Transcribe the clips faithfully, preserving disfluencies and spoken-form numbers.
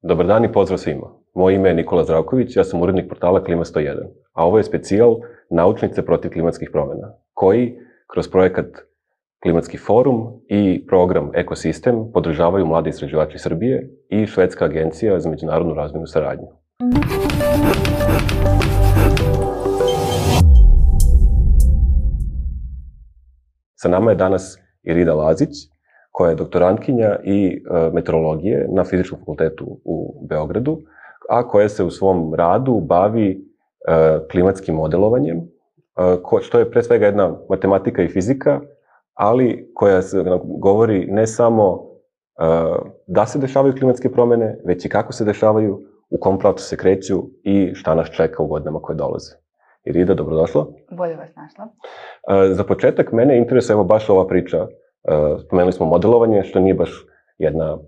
Dobar dan i pozdrav svima. Moje ime je Nikola Zdravković, ja sam urednik portala Klima sto jedan, a ovo je specijal Naučnice protiv klimatskih promjena, koji kroz projekat Klimatski forum i program Ekosistem podržavaju mladi istraživači Srbije i Švedska agencija za međunarodnu razvojnu saradnju. Sa nama je danas Irida Lazić, koja je doktorantkinja i meteorologije na Fizičkom fakultetu u Beogradu, a koja se u svom radu bavi klimatskim modelovanjem, što je pre svega jedna matematika i fizika, ali koja se govori ne samo da se dešavaju klimatske promjene, već i kako se dešavaju, u kom pravcu se kreću i šta nas čeka u godinama koje dolaze. Irida, dobrodošla. Bolje vas našla. Za početak, mene interesuje evo baš ova priča. Spomenuli smo modelovanje, što nije baš jedna,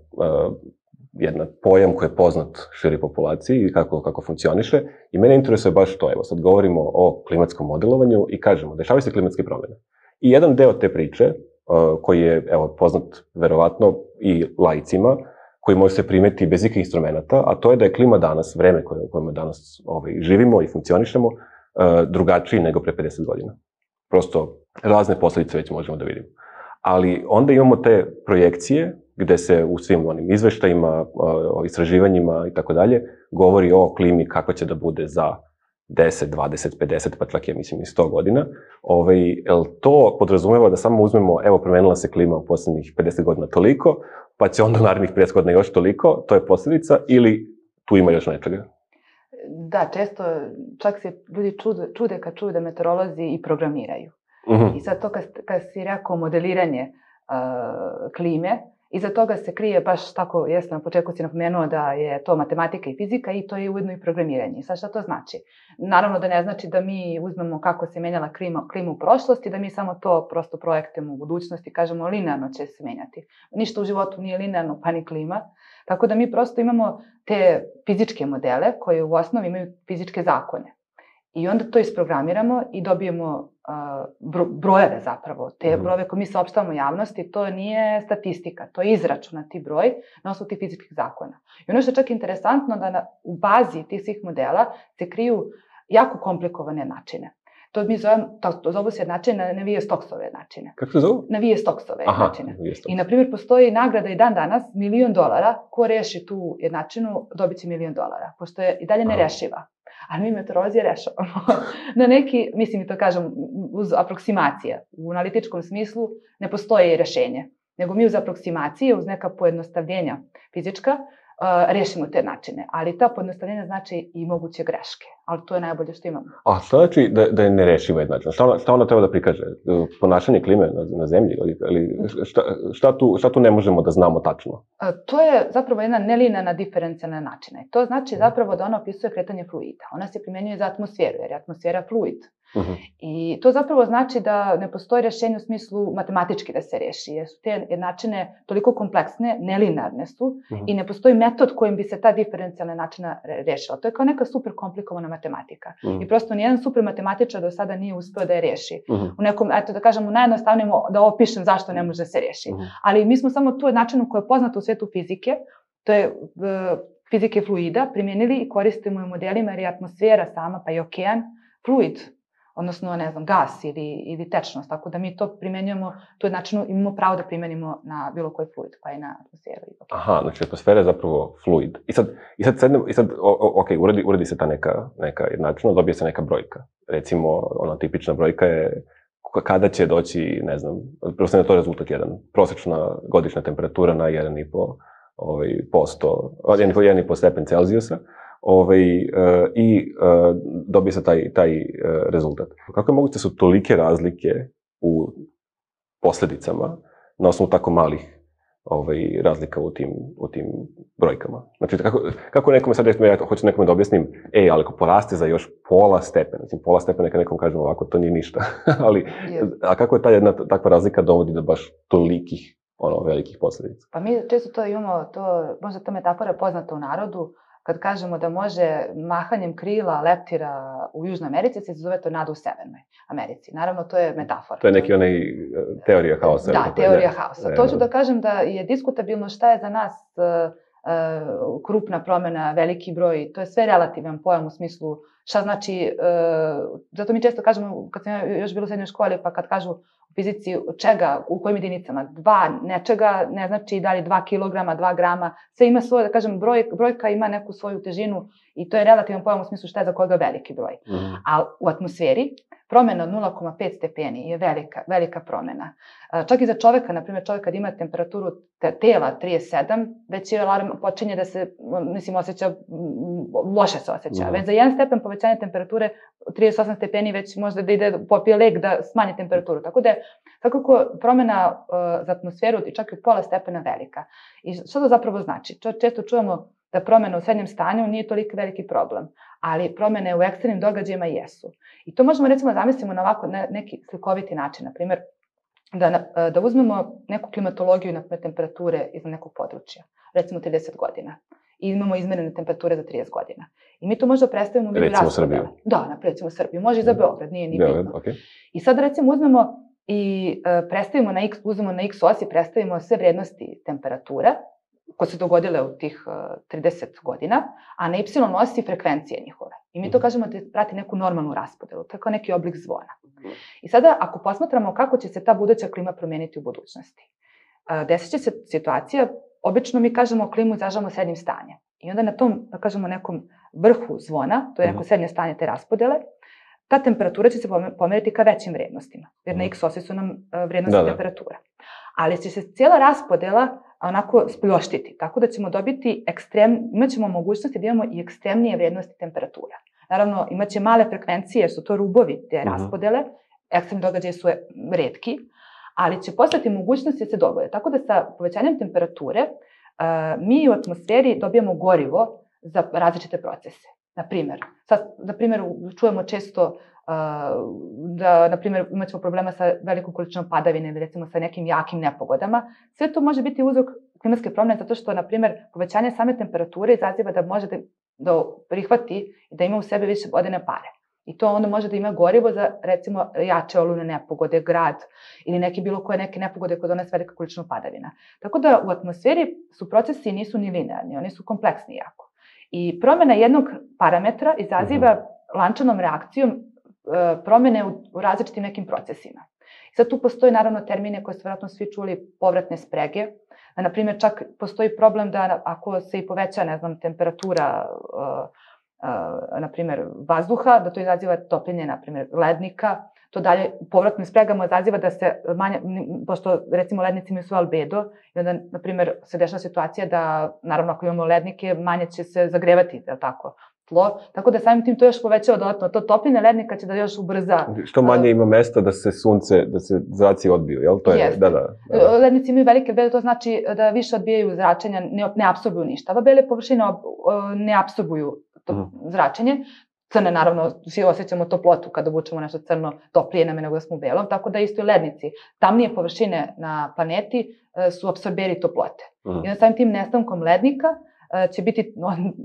jedna pojam koji je poznat širi populaciji i kako, kako funkcioniše. I mene interesuje baš to. Evo, sad govorimo o klimatskom modelovanju i kažemo, dešavaju se klimatske promjene. I jedan deo te priče, koji je evo, poznat verovatno i laicima, koji može se primeti bez ikakvih instrumenta, a to je da je klima danas, vreme koje, u kojem danas ovaj, živimo i funkcionišemo, drugačiji nego pre pedeset godina. Prosto razne posljedice već možemo da vidimo. Ali onda imamo te projekcije gde se u svim onim izveštajima, o istraživanjima i tako dalje govori o klimi kako će da bude za deset, dvadeset, pedeset, pa čak ja mislim i sto godina. Ovaj, jel to podrazumeva da samo uzmemo, evo, promenila se klima u poslednjih pedeset godina toliko, pa će onda u narednih pedeset godina još toliko, to je posljedica, ili tu ima još nečega? Da, često čak se ljudi čude, čude kad čuju da meteorolozi i programiraju. Mm-hmm. I sad to kad, kad si rekao modeliranje uh, klime, iza toga se krije baš tako, jesam na početku si napomenuo da je to matematika i fizika i to je ujedno i programiranje. Sad šta to znači? Naravno da ne znači da mi uzmemo kako se menjala klima, klima u prošlosti, da mi samo to prosto projektujemo u budućnosti, kažemo linearno će se menjati. Ništa u životu nije linearno, pa ni klima. Tako da mi prosto imamo te fizičke modele koje u osnovi imaju fizičke zakone. I onda to isprogramiramo i dobijemo uh, brojeve zapravo. Te brojeve koje mi saopštavamo javnosti, to nije statistika, to je izračunati broj na osnovu tih fizičkih zakona. I ono što je čak interesantno da na, u bazi tih svih modela se kriju jako komplikovane načine. To mi zovemo, to zovu se načine na Navier-Stokesove načine. Kako se zovu? Navier-Stokesove načine. I, na primjer, postoji nagrada i dan danas, milion dolara, ko reši tu jednačinu, dobit će milion dolara, pošto je i dalje nerešiva. Ali mi meteorolozi rešavamo. Na neki, mislim i to kažem, uz aproksimacije. U analitičkom smislu ne postoji rešenje, nego mi uz aproksimacije, uz neka pojednostavljenja fizička, Uh, rešimo te načine, ali ta pojednostavljenja znači i moguće greške, ali to je najbolje što imamo. A šta znači da, da je nerešiva jednačina? Šta ona, šta ona treba da prikaže? Ponašanje klime na, na zemlji? Ali, ali šta, šta, tu, šta tu ne možemo da znamo tačno? Uh, to je zapravo jedna nelinearna diferencijalna načina. To znači zapravo da ona opisuje kretanje fluida. Ona se primenjuje za atmosferu, jer je atmosfera fluid. Uh-huh. I to zapravo znači da ne postoji rešenje u smislu matematički da se reši, jer su te jednačine toliko kompleksne, nelinearne su, uh-huh. i ne postoji metod kojim bi se ta diferencijalna načina rešila. To je kao neka super komplikovana matematika. Uh-huh. I prosto nijedan super matematičar do sada nije uspeo da je reši. Uh-huh. U nekom, eto da kažem, u najjednostavnijem da opišem zašto ne može da se reši. Uh-huh. Ali mi smo samo tu jednačinu koja je poznata u svetu fizike, to je uh, fizike fluida, primijenili i koristimo u modelima jer je atmosfera sama, pa i okean, fluid, odnosno, ne znam, gas ili, ili tečnost, tako da mi to primenjujemo, tu jednačinu imamo pravo da primenimo na bilo koji fluid, pa i na atmosferu. Aha, znači atmosfera je zapravo fluid. I sad, i sad, sedne, i sad ok, uredi, uredi se ta neka, neka jednačina, dobije se neka brojka. Recimo, ona tipična brojka je kada će doći, ne znam, prosto je to rezultat jedan, prosječna godišnja temperatura na jedan i po ovaj, posto, jedan i po stepen Celzijusa. Ovaj, uh, i uh, dobije se taj, taj uh, rezultat. Kako je moguće da su tolike razlike u posljedicama na osnovu tako malih ovaj, razlika u tim, u tim brojkama? Znači, kako, kako nekome sad, ja hoću nekome da objasnim, ej, ali ako poraste za još pola stepena, znači pola stepena neka nekom kažem ovako, to nije ništa, ali a kako je ta jedna takva razlika dovodi do baš tolikih, ono, velikih posljedica? Pa mi često to imamo, to, možda ta metafora je poznata u narodu, kad kažemo da može mahanjem krila leptira u Južnoj Americi, se zove tornado u Severnoj Americi. Naravno, to je metafora. To je neki onaj teorija haosa. Da, teorija haosa. To ću da kažem da je diskutabilno šta je za nas krupna promjena, veliki broj, to je sve relativan pojam u smislu šta znači, zato mi često kažemo, kad sam još bila u srednjoj školi, pa kad kažu u fizici čega, u kojim jedinicama, dva nečega ne znači da li dva kilograma, dva grama, sve ima svoje, da kažem, broj, brojka ima neku svoju težinu i to je relativan pojam u smislu šta je za koga veliki broj. Mm. A u atmosferi promjena od nula zarez pet stepeni je velika, velika promjena. Čak i za čoveka, na primjer, čovjek kad ima temperaturu tela trideset sedam, već je alarm počinje da se, mislim, osjeća, loše se osjeća. Mm. Već za jedan stepen povećanja temperature, trideset osam stepeni, već možda da ide popije lek da smanji temperaturu. Tako da je svakako promjena uh, za atmosferu i čak i pola stepena velika. I što to zapravo znači? Često čujemo da promjena u srednjem stanju nije toliko veliki problem, ali promjene u ekstremnim događajima jesu. I to možemo recimo zamislimo na ovako ne, neki slikoviti način, na primjer, da, da uzmemo neku klimatologiju na temperature iz nekog područja, recimo trideset godina, i imamo izmerene temperature za trideset godina. I mi to možda predstavimo u vidu recimo Srbiju. Da, naprijed, recimo Srbiju. Može i za Beograd, nije ni Beograd, bitno. Okay. I sad recimo uzmemo i uh, predstavimo na x, uzmemo na x osi, predstavimo sve vrijednosti temperatura koje se dogodile u tih uh, trideset godina, a na y osi frekvencije njihove. I mi to kažemo da prati neku normalnu raspodelu, to je kao neki oblik zvona. I sada, ako posmatramo kako će se ta buduća klima promijeniti u budućnosti, uh, desit će se situacija, obično mi kažemo klimu izražavamo srednjim stanjem. I onda na tom, da kažemo, nekom vrhu zvona, to je neko srednje stanje te raspodele, ta temperatura će se pomeriti ka većim vrednostima, jer na x osi su nam uh, vrednosti da, temperatura. Ali će se cijela raspodela onako spljoštiti, tako da ćemo dobiti ekstrem, imat ćemo mogućnosti da imamo i ekstremnije vrednosti temperatura. Naravno, imat će male frekvencije, jer su to rubovi te uh-huh. raspodele, ekstremni događaji su retki, ali će postati mogućnosti da se dogode. Tako da sa povećanjem temperature uh, mi u atmosferi dobijamo gorivo za različite procese. Naprimjer, sad, na primjer, čujemo često uh, da, na primjer, imat ćemo problema sa velikom količinom padavine ili recimo sa nekim jakim nepogodama. Sve to može biti uzrok klimatske promjene zato što, na primjer, povećanje same temperature izaziva da može da, da prihvati i da ima u sebi više vodene pare. I to onda može da ima gorivo za, recimo, jače olujne nepogode, grad ili neke bilo koje neke nepogode koje donese velika količina padavina. Tako da u atmosferi su procesi nisu ni linearni, oni su kompleksni jako. I promjena jednog parametra izaziva uh-huh. lančanom reakcijom e, promjene u, u različitim nekim procesima. I sad tu postoji naravno termine koje ste vjerojatno svi čuli, povratne sprege. Na primjer, čak postoji problem da ako se i poveća, ne znam, temperatura e, e, na primjer vazduha, da to izaziva topljenje, na primjer, lednika. To dalje povratnim spregama izaziva da se manje, pošto recimo lednici imaju svoj albedo, i onda, na primjer, se dešava situacija da, naravno, ako imamo lednike, manje će se zagrevati, je li tako, tlo. Tako da samim tim to još povećava dodatno. To topljenje lednika će da još ubrza. Što manje ima mesta da se sunce, da se zraci odbiju, jel? To je, Jeste. Da, da, da. Lednici imaju velike albedo, to znači da više odbijaju zračenja, ne, ne apsorbuju ništa. Ove bele površine ne apsorbuju to uh-huh. zračenje. Crne, naravno, svi osjećamo toplotu kada obučemo nešto crno, toplije nam je nego da smo u belom, tako da isto i lednici. Tamnije površine na planeti su apsorberi toplote. Mm. I onda samim tim nestankom lednika će biti,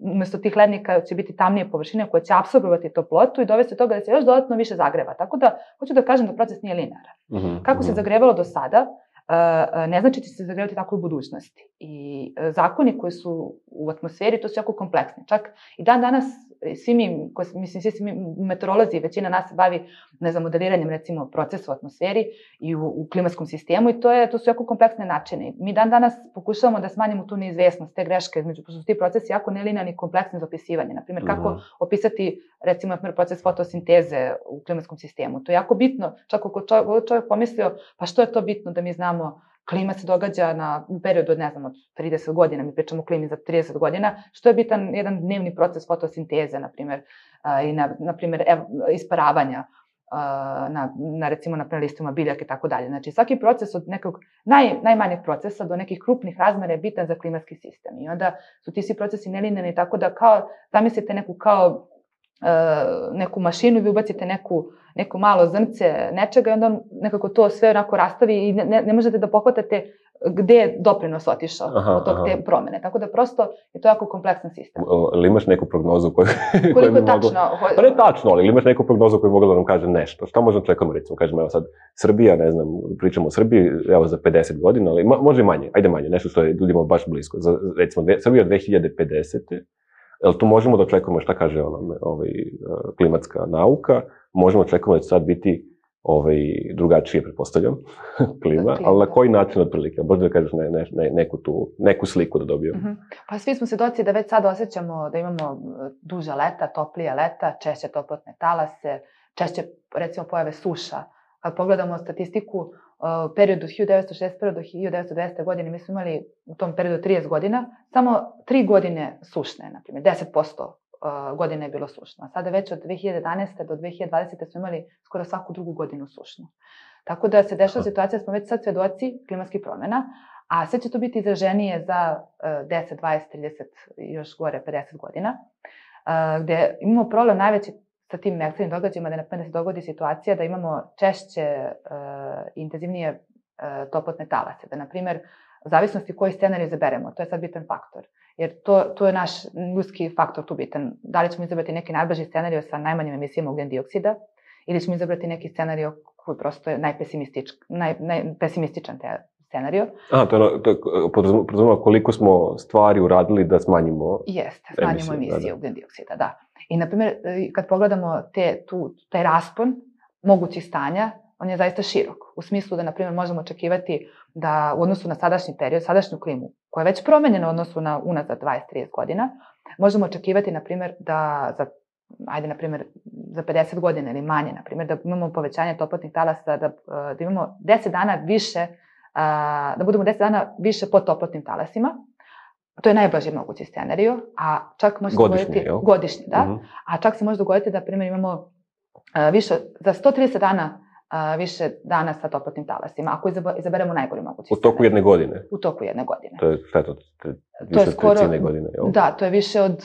umjesto tih lednika će biti tamnije površine koje će apsorbovati toplotu i dovesti do toga da se još dodatno više zagreva. Tako da, hoću da kažem da proces nije linearan. Mm-hmm. Kako se zagrevalo do sada, ne znači će se zagrevati tako u budućnosti. I zakoni koji su u atmosferi, to su jako kompleksni. Čak i dan danas, svi mi, koji, mislim, svi mi meteorolozi, većina nas se bavi, ne znam, modeliranjem, recimo, procesa u atmosferi i u, u klimatskom sistemu i to, je, to su jako kompleksne načine. Mi dan danas pokušavamo da smanjimo tu neizvesnost, te greške, između, pošto su ti procesi jako nelinearni i kompleksni za opisivanje. Naprimjer, kako uh-huh. opisati, recimo, naprimjer, proces fotosinteze u klimatskom sistemu. To je jako bitno, čak ako čovjek, čovjek pomislio, pa što je to bitno da mi znamo. Klima se događa na, u periodu od, ne znam, od trideset godina, mi pričamo o klimi za trideset godina, što je bitan jedan dnevni proces fotosinteze, na primjer, uh, i na, na primjer, ev, isparavanja, uh, na, na, recimo, na listima biljaka i tako dalje. Znači, svaki proces od nekog naj, najmanjeg procesa do nekih krupnih razmera je bitan za klimatski sistem. I onda su ti svi procesi nelinearni, tako da kao, zamislite neku kao neku mašinu i vi ubacite neku, neko malo zrnce nečega i onda on nekako to sve onako rastavi i ne, ne možete da pohvatate gde je doprinos otišao aha, od tog aha. te promene. Tako da prosto je to jako kompleksan sistem. Ali imaš neku prognozu koju... Koliko je tačno? Moglo... Pa ne tačno, ali imaš neku prognozu koju mogla da nam kaže nešto. Šta možemo čekamo, recimo, kažemo, evo sad, Srbija, ne znam, pričamo o Srbiji, evo za pedeset godina, ali ma, može i manje, ajde manje, nešto što je ljudima baš blisko. Za, recimo, dve, Srbija dve hiljade pedesete. Jel tu možemo da očekujemo šta kaže ona, ovaj, klimatska nauka, možemo očekujemo da će sad biti ovaj, drugačije, pretpostavljam, klima, ali na koji način otprilike? Možda da kažeš ne, ne, ne, neku, tu, neku sliku da dobijemo. Uh-huh. Pa svi smo svedoci da već sad osjećamo da imamo duža leta, toplija leta, češće toplotne talase, češće, recimo, pojave suša. Kad pogledamo statistiku, u periodu od hiljadu devetsto šezdeset prve do hiljadu devetsto dvadesete godine, mi smo imali u tom periodu trideset godina, samo tri godine sušne, na primjer, deset posto godine je bilo sušno. A sada već od dve hiljade jedanaeste do dve hiljade dvadesete smo imali skoro svaku drugu godinu sušnu. Tako da se dešava situacija da smo već sad svedoci klimatskih promjena, a sve će to biti izraženije za deset, dvadeset, trideset i još gore pedeset godina, gde imamo problem najveći sa tim ekstremnim događajima, da na primjer se dogodi situacija da imamo češće i intenzivnije toplotne talase, da na primjer u zavisnosti koji scenarij izaberemo, to je sad bitan faktor. Jer to, to je naš ljudski faktor tu bitan. Da li ćemo izabrati neki najbrži scenarij sa najmanjim emisijama ugljen dioksida ili ćemo izabrati neki scenarij koji prosto je najpesimistič, naj, najpesimističan te scenarij. A, to je, to je podrazumeva koliko smo stvari uradili da smanjimo Jeste, smanjimo emisije, emisije ugljen dioksida, da. I, na primjer, kad pogledamo te, tu, taj raspon mogućih stanja, on je zaista širok. U smislu da, na primjer, možemo očekivati da u odnosu na sadašnji period, sadašnju klimu, koja je već promenjena u odnosu na unazad dvadeset do trideset godina, možemo očekivati, na primjer, da za, ajde, na primjer, za pedeset godina ili manje, na primjer, da imamo povećanje toplotnih talasa, da, da imamo deset dana više, da budemo deset dana više pod toplotnim talasima. To je najblaži mogući scenarij, a čak može godišnji, dogoditi jel? Godišnji, da. Uh-huh. A čak se može dogoditi da, primjer, imamo više, za sto trideset dana više dana sa toplotnim talasima, ako izaberemo najgori mogući scenarij. U toku jedne godine? U toku jedne godine. To je šta je to? Više od skoro, trećine godine, jel? Da, to je više od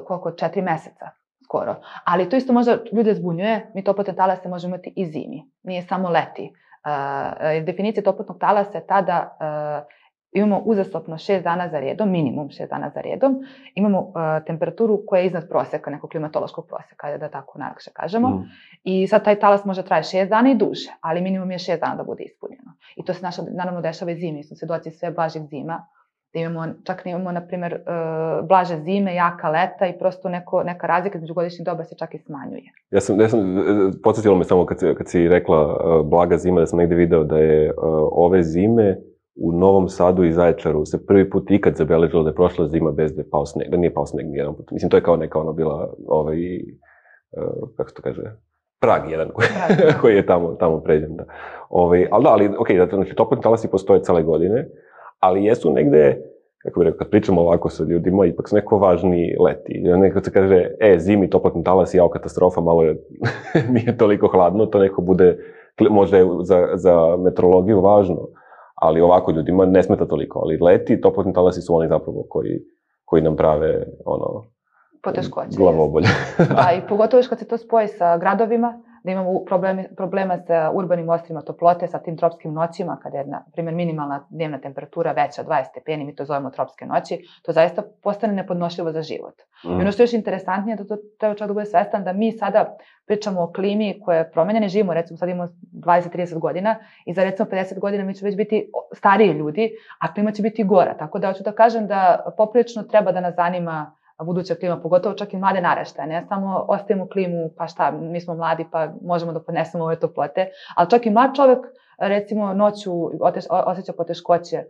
koliko, četiri meseca skoro. Ali to isto možda ljude zbunjuje, mi toplotne talase možemo imati i zimi, nije samo leti. Uh, definicija toplotnog talasa je ta da uh, imamo uzastopno šest dana za redom, minimum šest dana za redom, imamo uh, temperaturu koja je iznad proseka, nekog klimatološkog proseka, da tako najlakše kažemo. Mm. I sad taj talas može traje šest dana i duže, ali minimum je šest dana da bude ispunjeno. I to se naša, naravno dešava i zimi, smo svedoci sve blažih zima, da imamo, čak imamo, na primjer, uh, blaže zime, jaka leta i prosto neko, neka razlika između godišnjih doba se čak i smanjuje. Ja sam, ja sam podsjetila me samo kad, kad si rekla uh, blaga zima, da sam negde video da je uh, ove zime u Novom Sadu i Zaječaru se prvi put ikad zabeležilo da je prošla zima bez da je pao sneg, da nije pao sneg nijedan put. Mislim, to je kao neka ona bila, ovaj, uh, kako se to kaže, prag jedan koji, koji je tamo, tamo pređen. Da. Ovaj, ali da, ali, okej, okay, znači, toplotni talasi postoje cele godine, ali jesu negde, kako bih rekao, kad pričamo ovako sa ljudima, ipak su neko važni leti. Neko se kaže, e, zimi, toplotni talas, jao, katastrofa, malo je, nije toliko hladno, to neko bude, možda je za, za meteorologiju važno, ali ovako ljudima ne smeta toliko. Ali leti, toplotni talasi su oni zapravo koji, koji nam prave, ono, poteškoće. Glavobolje. Da, i pogotovo još kad se to spoji sa gradovima, da imamo problemi, problema sa urbanim ostrima toplote, sa tim tropskim noćima, kada je, na primjer, minimalna dnevna temperatura veća od dvadeset stepeni, mi to zovemo tropske noći, to zaista postane nepodnošljivo za život. Mm. I ono što je još interesantnije, da to treba čovjek da bude svestan, da mi sada pričamo o klimi koja je promenjena, živimo, recimo sad imamo dvadeset do trideset godina i za recimo pedeset godina mi će već biti stariji ljudi, a klima će biti gora. Tako da hoću da kažem da poprilično treba da nas zanima buduća klima, pogotovo čak i mlade naraštaje, ne samo ostavimo klimu, pa šta, mi smo mladi pa možemo da podnesemo ove toplote, ali čak i mlad čovjek, recimo, noću osjeća poteškoće,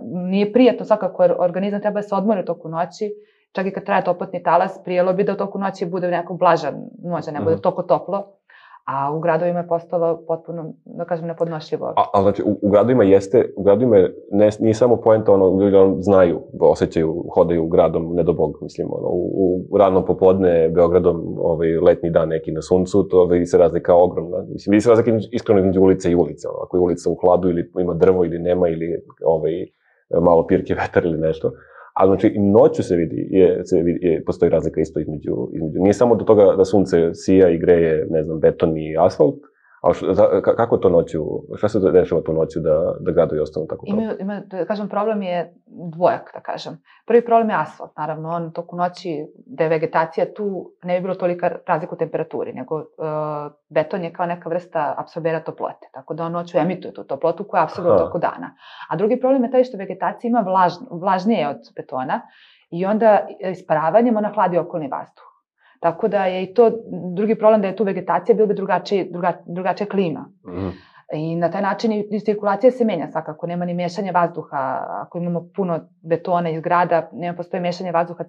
nije prijatno svakako, jer organizam treba da se odmori u toku noći, čak i kad traje toplotni talas, prijelo bi da u toku noći bude neko blaža noć, ne bude toliko toplo, a u gradovima je postalo potpuno, da kažem, nepodnošljivo. A, ali znači, u, u gradovima jeste, u gradovima ne, nije samo poenta, ono, ljudi on, znaju, osjećaju, hodaju gradom, ne do Bog, mislim, ono, u, u rano popodne, Beogradom, ovaj, letnji dan neki na suncu, to vidi se razlika ogromna. Mislim, vidi se razlika iskreno između ulice i ulice, ono, ako je ulica u hladu ili ima drvo ili nema, ili ovaj, malo pirke vetar ili nešto. A znači i noću se vidi, je, se vidi je, postoji razlika isto između, između, nije samo do toga da sunce sija i greje, ne znam, beton i asfalt, ali š, za, kako to noću, šta se dešava tu noću da, da gradovi ostanu tako kao? Ima, ima, da kažem, problem je dvojak, da kažem. Prvi problem je asfalt, naravno, on toku noći, da je vegetacija tu, ne bi bilo tolika razlika u temperaturi, nego uh, beton je kao neka vrsta apsorbera toplote, tako da on noću emituje tu toplotu koja apsorbira toku dana. A drugi problem je taj što vegetacija ima vlaž, vlažnije od betona i onda isparavanjem ona hladi okolni vazduh. Tako da je i to drugi problem da je tu vegetacija, bilo bi drugačija, druga, drugačija klima. Mm. I na taj način i cirkulacija se menja svakako, nema ni mešanja vazduha. Ako imamo puno betona iz grada, nema postoji mešanje vazduha,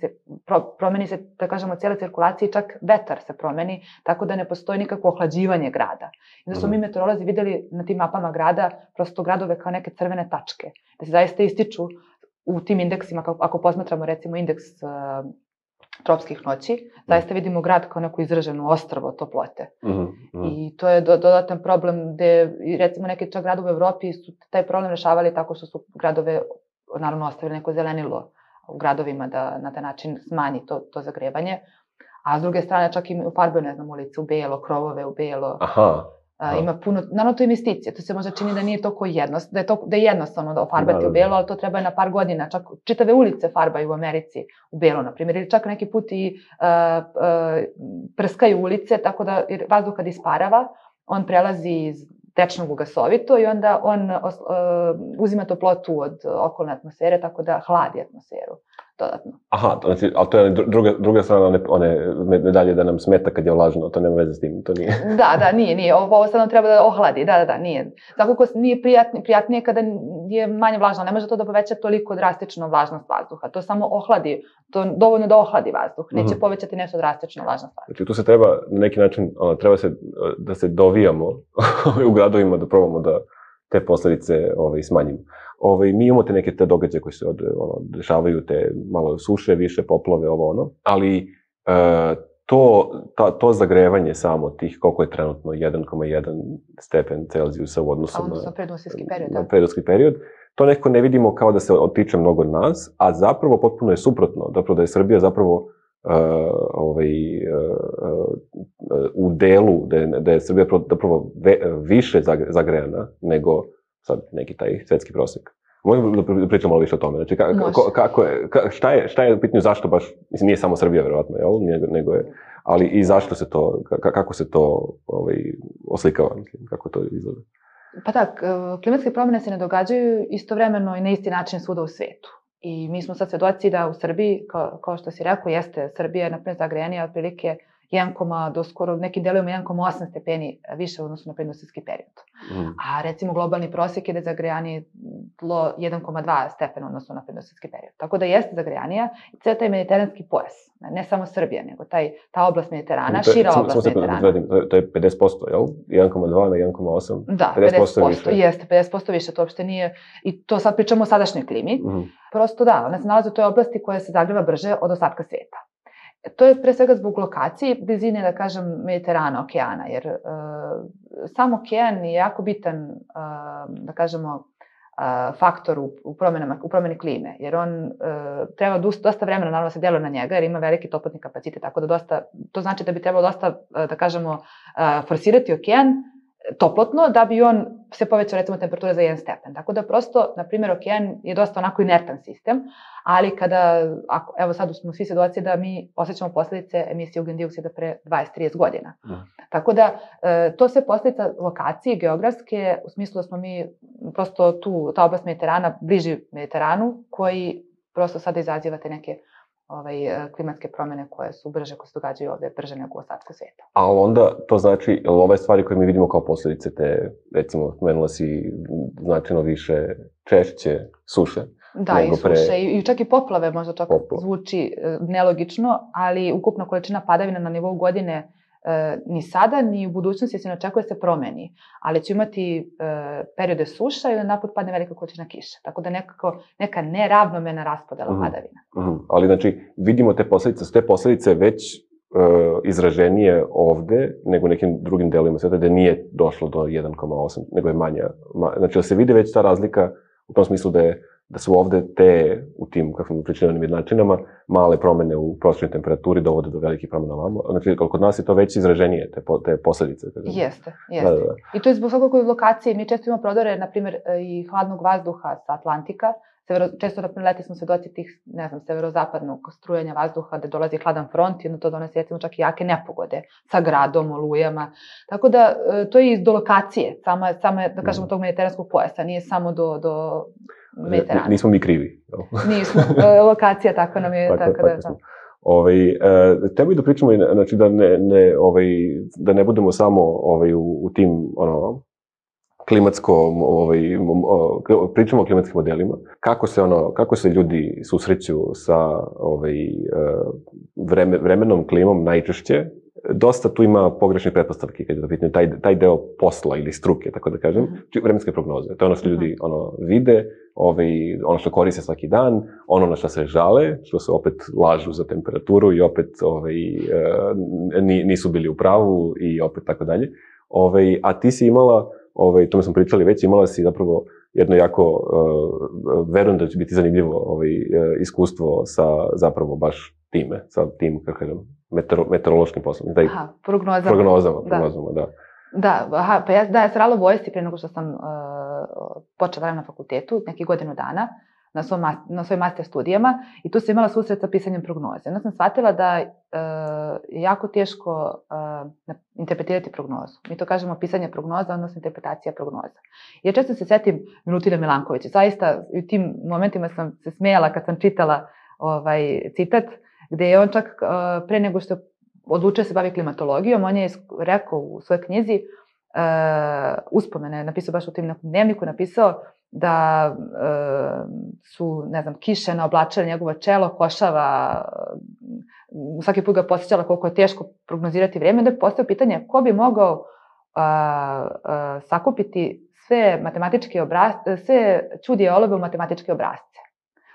pro, promeni se, da kažemo, cijela cirkulacija i čak vetar se promeni, tako da ne postoji nikakvo ohlađivanje grada. I da smo mm. mi meteorolozi videli na tim mapama grada, prosto gradove kao neke crvene tačke, da se zaista ističu u tim indeksima, ako posmatramo recimo indeks uh, tropskih noći, zaista vidimo grad kao neku izraženu ostrvo toplote. Mm -hmm. I to je do, dodatan problem gde, recimo, neki čak gradovi u Evropi su taj problem rešavali tako što su gradove, naravno, ostavili neko zelenilo u gradovima da na taj način smanji to, to zagrevanje. A s druge strane čak i farbaju, ne znam, ulice u belo, krovove u belo. Aha. A, ima puno, naravno to je investicija, to se možda čini da nije toliko jednostavno, da je, to, da je jednostavno da ofarbati da, u belo, ali to treba na par godina, čak čitave ulice farbaju u Americi u belo, na primjer, ili čak neki put i uh, uh, prskaju ulice, tako da jer vazduh kad isparava, on prelazi iz tečnog u gasovito i onda on uh, uzima toplotu od okolne atmosfere, tako da hladi atmosferu dodatno. Aha, znači, ali to je druga, druga strana one, one medalje da nam smeta kad je vlažno, to nema veze s tim, to nije. Da, da, nije, nije, ovo, ovo sad nam treba da ohladi, da, da, da, nije. Tako nije prijatnije, prijatnije kada je manje vlažno, ne može to da poveća toliko drastično vlažnost vazduha, to samo ohladi, to dovoljno da ohladi vazduh, neće mm-hmm. povećati nešto drastično vlažnost vazduha. Znači tu se treba, na neki način, ono, treba se, da se dovijamo u gradovima da probamo da te posljedice ovaj, smanjimo. Ovaj, mi imamo te neke te događaje koji se od, ono, dešavaju, te malo suše, više poplove, ovo ono, ali e, to, ta, to zagrevanje samo tih, koliko je trenutno jedan zarez jedan stepen Celzijusa u odnosu na, na predindustrijski period, na predindustrijski period, to nekako ne vidimo kao da se otiče mnogo od nas, a zapravo potpuno je suprotno, zapravo da je Srbija zapravo Uh, ovaj, uh, uh, u delu, da je, da je Srbija zapravo ve, više zagrejana nego sad neki taj svetski prosek. Možemo da pričamo malo više o tome. Znači, kako, kako je, ka, šta je, šta je u pitanju, zašto baš, mislim, nije samo Srbija, verovatno, jel? Nego, nego je, ali i zašto se to, ka, kako se to ovaj, oslikava, mislim, kako to izgleda? Pa tak, klimatske promjene se ne događaju istovremeno i na isti način svuda u svetu. I mi smo sad svedoci da u Srbiji, kao, kao što si rekao, jeste Srbija je naprimjer zagrejanija otprilike jedan, do skoro nekim delovima jedan zarez osam stepeni više u odnosu na predindustrijski period. Mm. A recimo globalni prosjek je da je zagrejanije tlo jedan zarez dva stepena u odnosu na predindustrijski period. Tako da jeste zagrejanija i cijel taj mediteranski pojas, ne samo Srbija, nego taj, ta oblast Mediterana, to, šira oblast Mediterana. To je pedeset posto, jel? jedan zarez dva na jedan zarez osam? Da, pedeset posto, pedeset posto jeste, pedeset posto više, to uopšte nije, i to sad pričamo o sadašnjoj klimi. Mm. Prosto da, ona se nalazi u toj oblasti koja se zagreva brže od ostatka sveta. To je pre svega zbog lokacije, blizine, da kažem, Mediterana, okeana, jer uh, sam okean je jako bitan, uh, da kažemo, uh, faktor u, u, u promjeni klime, jer on uh, treba dosta vremena, naravno, se djeluje na njega, jer ima veliki toplotni kapacitet, tako da dosta, to znači da bi trebalo dosta, uh, da kažemo, uh, forsirati okean toplotno, da bi on se povećao, recimo, temperatura za jedan stepen. Tako da prosto, na primjer, okean je dosta onako inertan sistem, ali kada, ako, evo sad smo svi svedoci da mi osjećamo posljedice emisije ugljen dioksida pre dvadeset do trideset godina. Mm. Tako da, e, to sve posljedica lokacije, geografske, u smislu da smo mi prosto tu, ta oblast Mediterana, bliži Mediteranu, koji prosto sada izazivate neke ovaj, klimatske promjene koje su brže, koje se događaju ovdje brže nego u ostatku svijeta. A onda to znači, ove stvari koje mi vidimo kao posljedice te, recimo, spomenula si značajno više češće suše. Da, i suše, pre... i čak i poplave možda čak Popla. zvuči nelogično, ali ukupna količina padavina na nivou godine e, ni sada, ni u budućnosti se ne očekuje se promeni, ali će imati e, periode suša i onda naput padne velika količina kiše. Tako da nekako, neka neravnomjerna raspodela mm-hmm. padavina. Mm-hmm. Ali znači, vidimo te posljedice, su te posljedice već e, izraženije ovde nego u nekim drugim delovima sveta, da nije došlo do jedan zarez osam, nego je manja. Ma, znači, da se vidi već ta razlika u tom smislu da je da su ovde te, u tim, kako smo pričali, jednačinama, male promene u prosječnoj temperaturi dovode do velikih promena ovamo. Znači, kod nas je to već izraženije, te, te posledice. Jeste, jeste. Da, da, da. I to je zbog svakako lokacije. Mi često imamo prodore, na primjer, i hladnog vazduha sa Atlantika. Severo, često, na primjer, leti smo svedoci tih, ne znam, severozapadnog strujanja vazduha, gde dolazi hladan front i onda to donese, recimo, čak i jake nepogode sa gradom, olujama. Tako da, to je i do lokacije, sama, sama da kažemo, tog mediteranskog pojasa, nije samo do, do Mediterana. Nismo mi krivi. Nismo, lokacija tako nam je. Tako, tako, tako da. Ovaj, e, tebi da pričamo, znači da ne, ne, ovaj, da ne budemo samo ovaj, u, u tim, ono, klimatskom, ovaj, pričamo o klimatskim modelima, kako se, ono, kako se ljudi susreću sa ovaj, vreme, vremenom, klimom najčešće. Dosta tu ima pogrešnih pretpostavki kad je to pitanje, taj, taj deo posla ili struke, tako da kažem, mm-hmm. vremenske prognoze. To je ono što ljudi ono, vide, ovaj, ono što koriste svaki dan, ono na što se žale, što se opet lažu za temperaturu i opet ovaj, nisu bili u pravu i opet tako dalje. Ovaj, a ti si imala, ovaj, tome smo pričali već, imala si zapravo jedno jako, uh, verujem da će biti zanimljivo ovaj, iskustvo sa zapravo baš time, sa tim, kako kažem, Meteoro, meteorološkim poslom. Da, aha, prognozama. Prognozama, prognozama, da. Da, aha, pa ja, da, ja sam radila u vojsci prije nego što sam uh, počela radim na fakultetu, nekih godinu dana, na, svom, na svojim master studijama, i tu sam imala susret sa pisanjem prognoze. Onda sam shvatila da uh, je jako teško uh, interpretirati prognozu. Mi to kažemo pisanje prognoza, odnosno interpretacija prognoza. Ja često se setim Milutina Milankovića. Zaista, u tim momentima sam se smejala kad sam čitala ovaj citat, gde je on čak uh, pre nego što odlučio se bavi klimatologijom, on je rekao u svojoj knjizi, uh, uspomene, napisao baš u tim nekom dnevniku, napisao da uh, su, ne znam, kiše naoblačile njegovo čelo, košava, uh, svaki put ga posjećala koliko je teško prognozirati vreme, onda je postao pitanje ko bi mogao uh, uh, sakupiti sve matematičke obrazce, sve čudije olove u matematičke obrazce.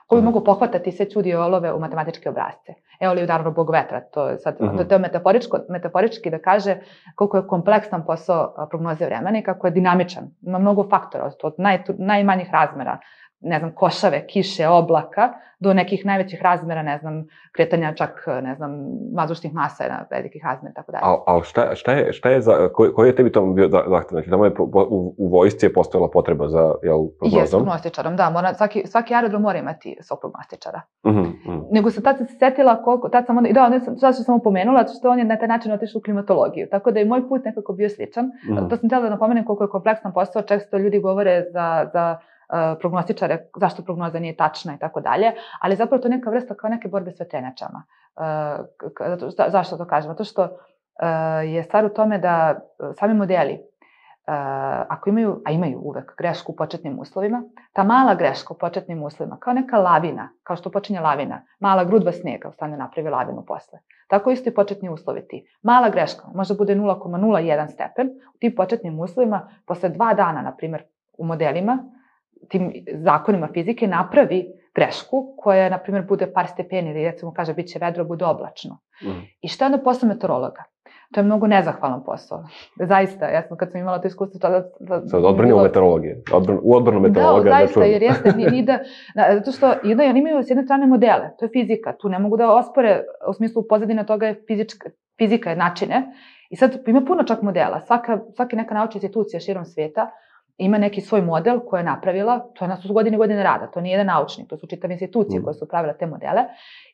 Ko bi mogu pohvatati sve čudije olove u matematičke obrazce. Evo li naravno Bog vetra, to je sad, uh-huh. to je metaforičko, metaforički da kaže koliko je kompleksan posao prognoze vremena i kako je dinamičan. Ima mnogo faktora, od naj, najmanjih razmera, ne znam, košave, kiše, oblaka, do nekih najvećih razmera, ne znam, kretanja čak, ne znam, vazdušnih masa na velikih razmera, tako dalje. A, a šta, šta je, šta je za, koji, koji je tebi tamo bio zahtev? Znači, tamo je u, u vojsci je postojala potreba za, jel, prognozom? Jes, prognostičarom, da, mora, svaki, svaki aerodrom mora imati svog prognostičara. Mhm, mhm. Nego sam tad se setila koliko, tad sam onda, i da, onda sam, sad što sam pomenula, što on je na taj način otišao u klimatologiju, tako da je moj put nekako bio sličan. Mhm. To sam htjela da napomenem koliko je kompleksan posao, često ljudi govore za, za Uh, prognostičare, zašto prognoza nije tačna i tako dalje, ali zapravo to je neka vrsta kao neke borbe s vetrenjačama. Uh, za, zašto to kažem? Zato što uh, je stvar u tome da sami modeli, uh, ako imaju, a imaju uvek grešku u početnim uslovima, ta mala greška u početnim uslovima, kao neka lavina, kao što počinje lavina, mala grudva snega stane napravi lavinu posle. Tako isto i početni uslovi ti. Mala greška, možda bude nula zarez nula jedan stepen, u tim početnim uslovima, posle dva dana, na primjer, u modelima, tim zakonima fizike napravi grešku koja, na primjer, bude par stepeni ili recimo kaže bit će vedro, bude oblačno. Mm. I šta je onda posao meteorologa? To je mnogo nezahvalan posao. Zaista, ja sam kad sam imala to iskustvo... Da, da, Sad odbrnimo bilo... meteorologije. Odbrn, u odbrnu meteorologa... Da, zaista, da jer jeste, ni, ni da... Zato što jedna, oni imaju s jedne strane modele, to je fizika, tu ne mogu da ospore, u smislu pozadina toga je fizička, fizika je načine. I sad ima puno čak modela. Svaka, svaka neka naučna institucija širom svijeta ima neki svoj model koji je napravila, to je na su godine i godine rada, to nije jedan naučnik, to su čitave institucije koje su pravile te modele.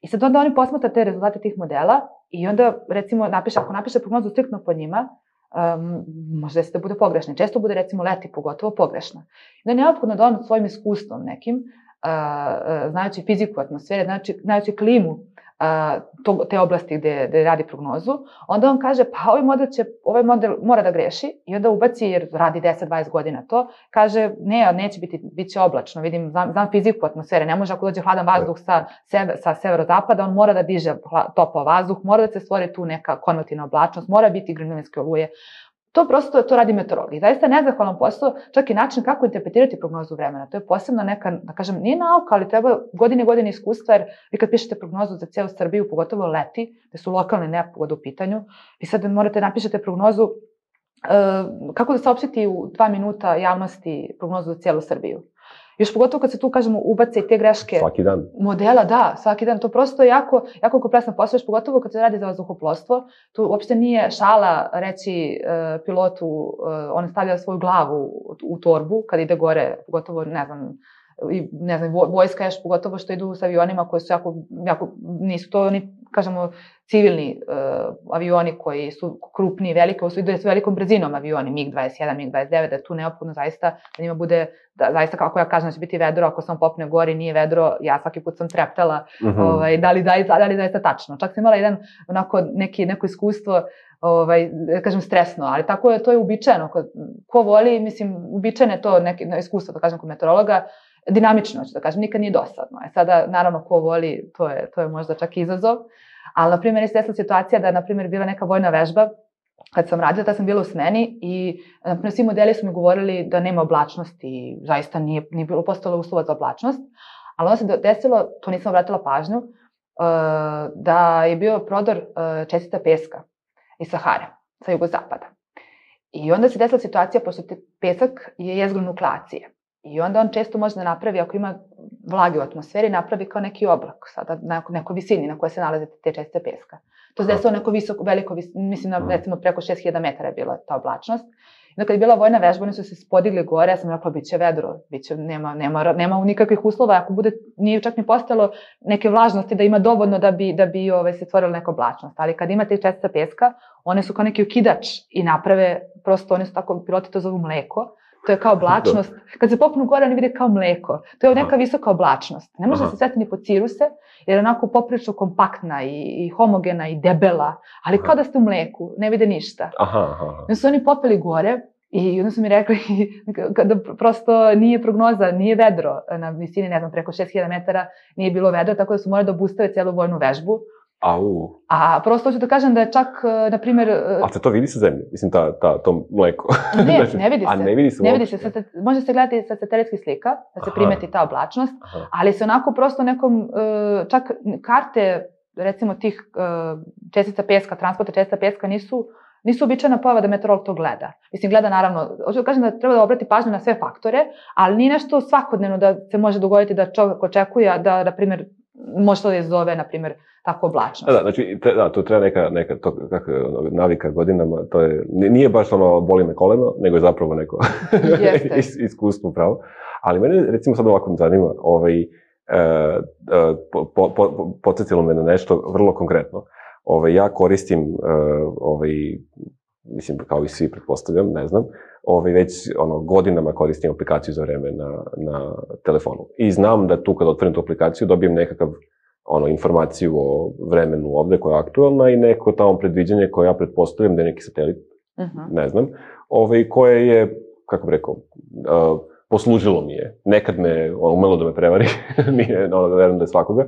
I sad onda oni posmatra te rezultate tih modela i onda, recimo, napiše, ako napiše prognozu striktno po njima, um, možda se da bude pogrešna. Često bude, recimo, leti pogotovo pogrešna. I onda je neophodno da on svojim iskustvom nekim, uh, znajući fiziku atmosfere, znajući, znajući klimu, To, te oblasti gde, gde radi prognozu, onda on kaže, pa ovaj model, će, ovaj model mora da greši i onda ubaci, jer radi deset dvadeset godina to, kaže, ne, neće biti, bit će oblačno, vidim, znam, znam fiziku atmosfere, ne može ako dođe hladan vazduh sa, sever, sa severozapada, on mora da diže topao vazduh, mora da se stvori tu neka konvektivna oblačnost, mora biti grmljavinske oluje. To prosto, to radi meteorolog. I zaista je nezahvalan posao, čak i način kako interpretirati prognozu vremena. To je posebno neka, da kažem, nije nauka, ali treba godine i godine iskustva, jer vi kad pišete prognozu za cijelu Srbiju, pogotovo leti, gde su lokalne nepogode u pitanju, vi sad morate napišete prognozu, uh, kako da saopštiti u dva minuta javnosti prognozu za cijelu Srbiju. Još pogotovo kad se tu, kažemo, ubace i te greške. Svaki dan. Modela, da, svaki dan. To prosto jako, jako kompleksan posao, još pogotovo kad se radi za vazduhoplovstvo. Tu uopšte nije šala reći uh, pilotu, uh, on stavlja svoju glavu u, u torbu kad ide gore, pogotovo, ne znam, i, ne znam, vojska još pogotovo što idu s avionima koji su jako, jako nisu to oni, kažemo, civilni uh, avioni koji su krupni, veliki, ovo su ide s velikom brzinom avioni, MiG dvadeset jedan, MiG dvadeset devet, da je tu neophodno zaista da njima bude, da, zaista kako ja kažem da će biti vedro, ako sam popne gori nije vedro, ja svaki put sam treptala, mm-hmm. ovaj, da li zaista, da li zaista tačno. Čak sam imala jedan, onako, neki, neko iskustvo, ovaj, kažem, stresno, ali tako je, to je uobičajeno. Ko, ko voli, mislim, uobičajeno je to neki iskustvo, da kažem, kod meteorologa, dinamično, ću da kažem, nikad nije dosadno. E sada, naravno, ko voli, to je, to je možda čak izazov, ali, na primjer, je se desila situacija da je, na primjer, bila neka vojna vežba, kad sam radila, da sam bila u smeni i, na primjer, svi modeli su mi govorili da nema oblačnosti i zaista nije, nije bilo postalo uslova za oblačnost, ali onda se desilo, to nisam obratila pažnju, da je bio prodor čestica peska iz Sahare, sa jugozapada. I onda se desila situacija, pošto pesak je jezgro nukleacije. I onda on često može da napravi, ako ima vlage u atmosferi, napravi kao neki oblak, sada na nekoj visini na kojoj se nalaze te čestice peska. To se desilo neko visoko, veliko, mislim, na, recimo preko šest hiljada metara je bila ta oblačnost. I onda kad je bila vojna vežba, oni su se podigli gore, ja sam rekla, bit će vedro, bit će, nema, nema, nema nikakvih uslova, ako bude, nije čak ni postojalo neke vlažnosti da ima dovoljno da bi, da bi ove, se stvorila neka oblačnost. Ali kad imate čestica peska, one su kao neki okidač i naprave, prosto oni su tako, piloti to zovu mleko. To je kao oblačnost. Kad se popnu gore, oni vide kao mleko. To je neka visoka oblačnost. Ne može se sveti ni po ciruse, jer je onako poprilično kompaktna i, i homogena i debela, ali kao da ste u mleku, ne vide ništa. Aha, aha. Onda su oni popeli gore i onda su mi rekli da prosto nije prognoza, nije vedro na visini, ne znam, preko šest hiljada metara nije bilo vedro, tako da su morali da obustave celu vojnu vežbu. Au. A prosto hoću da kažem da je čak, na primjer... A se to vidi sa zemlje? Mislim, ta, ta, to mleko. Ne, znači, ne vidi se. A ne vidi se ne vidi se. Može se gledati sa satelitskih slika, da se Aha. primeti ta oblačnost, Aha. ali se onako prosto nekom, čak karte, recimo tih čestica peska, transporta čestica peska nisu, nisu običajna pojava da meteorolog to gleda. Mislim, gleda naravno, hoću da kažem da treba da obrati pažnju na sve faktore, ali nije nešto svakodnevno da se može dogoditi da čovjek očekuje da, na primjer, može to da izazove, na primjer, tako oblačnost. Da, znači, te, da, to treba neka, neka to, kako, navika godinama, to je, nije baš ono boli me koleno, nego je zapravo neko is, iskustvo pravo. Ali mene, recimo, sad ovako me zanima, ovaj, e, po, po, po, podsjetilo me na nešto vrlo konkretno. Ovaj, ja koristim, e, ovaj, mislim, kao i svi pretpostavljam, ne znam, ovaj, već ono, godinama koristim aplikaciju za vreme na, na telefonu. I znam da tu kad otvorim tu aplikaciju dobijem nekakav ono, informaciju o vremenu ovde koja je aktualna i neko tamo predviđanje koje ja pretpostavljam da je neki satelit, uh-huh. ne znam, ovaj, koje je, kako bih rekao, uh, poslužilo mi je. Nekad me ono, umelo da me prevari, nije, ono, da verujem da je svakoga.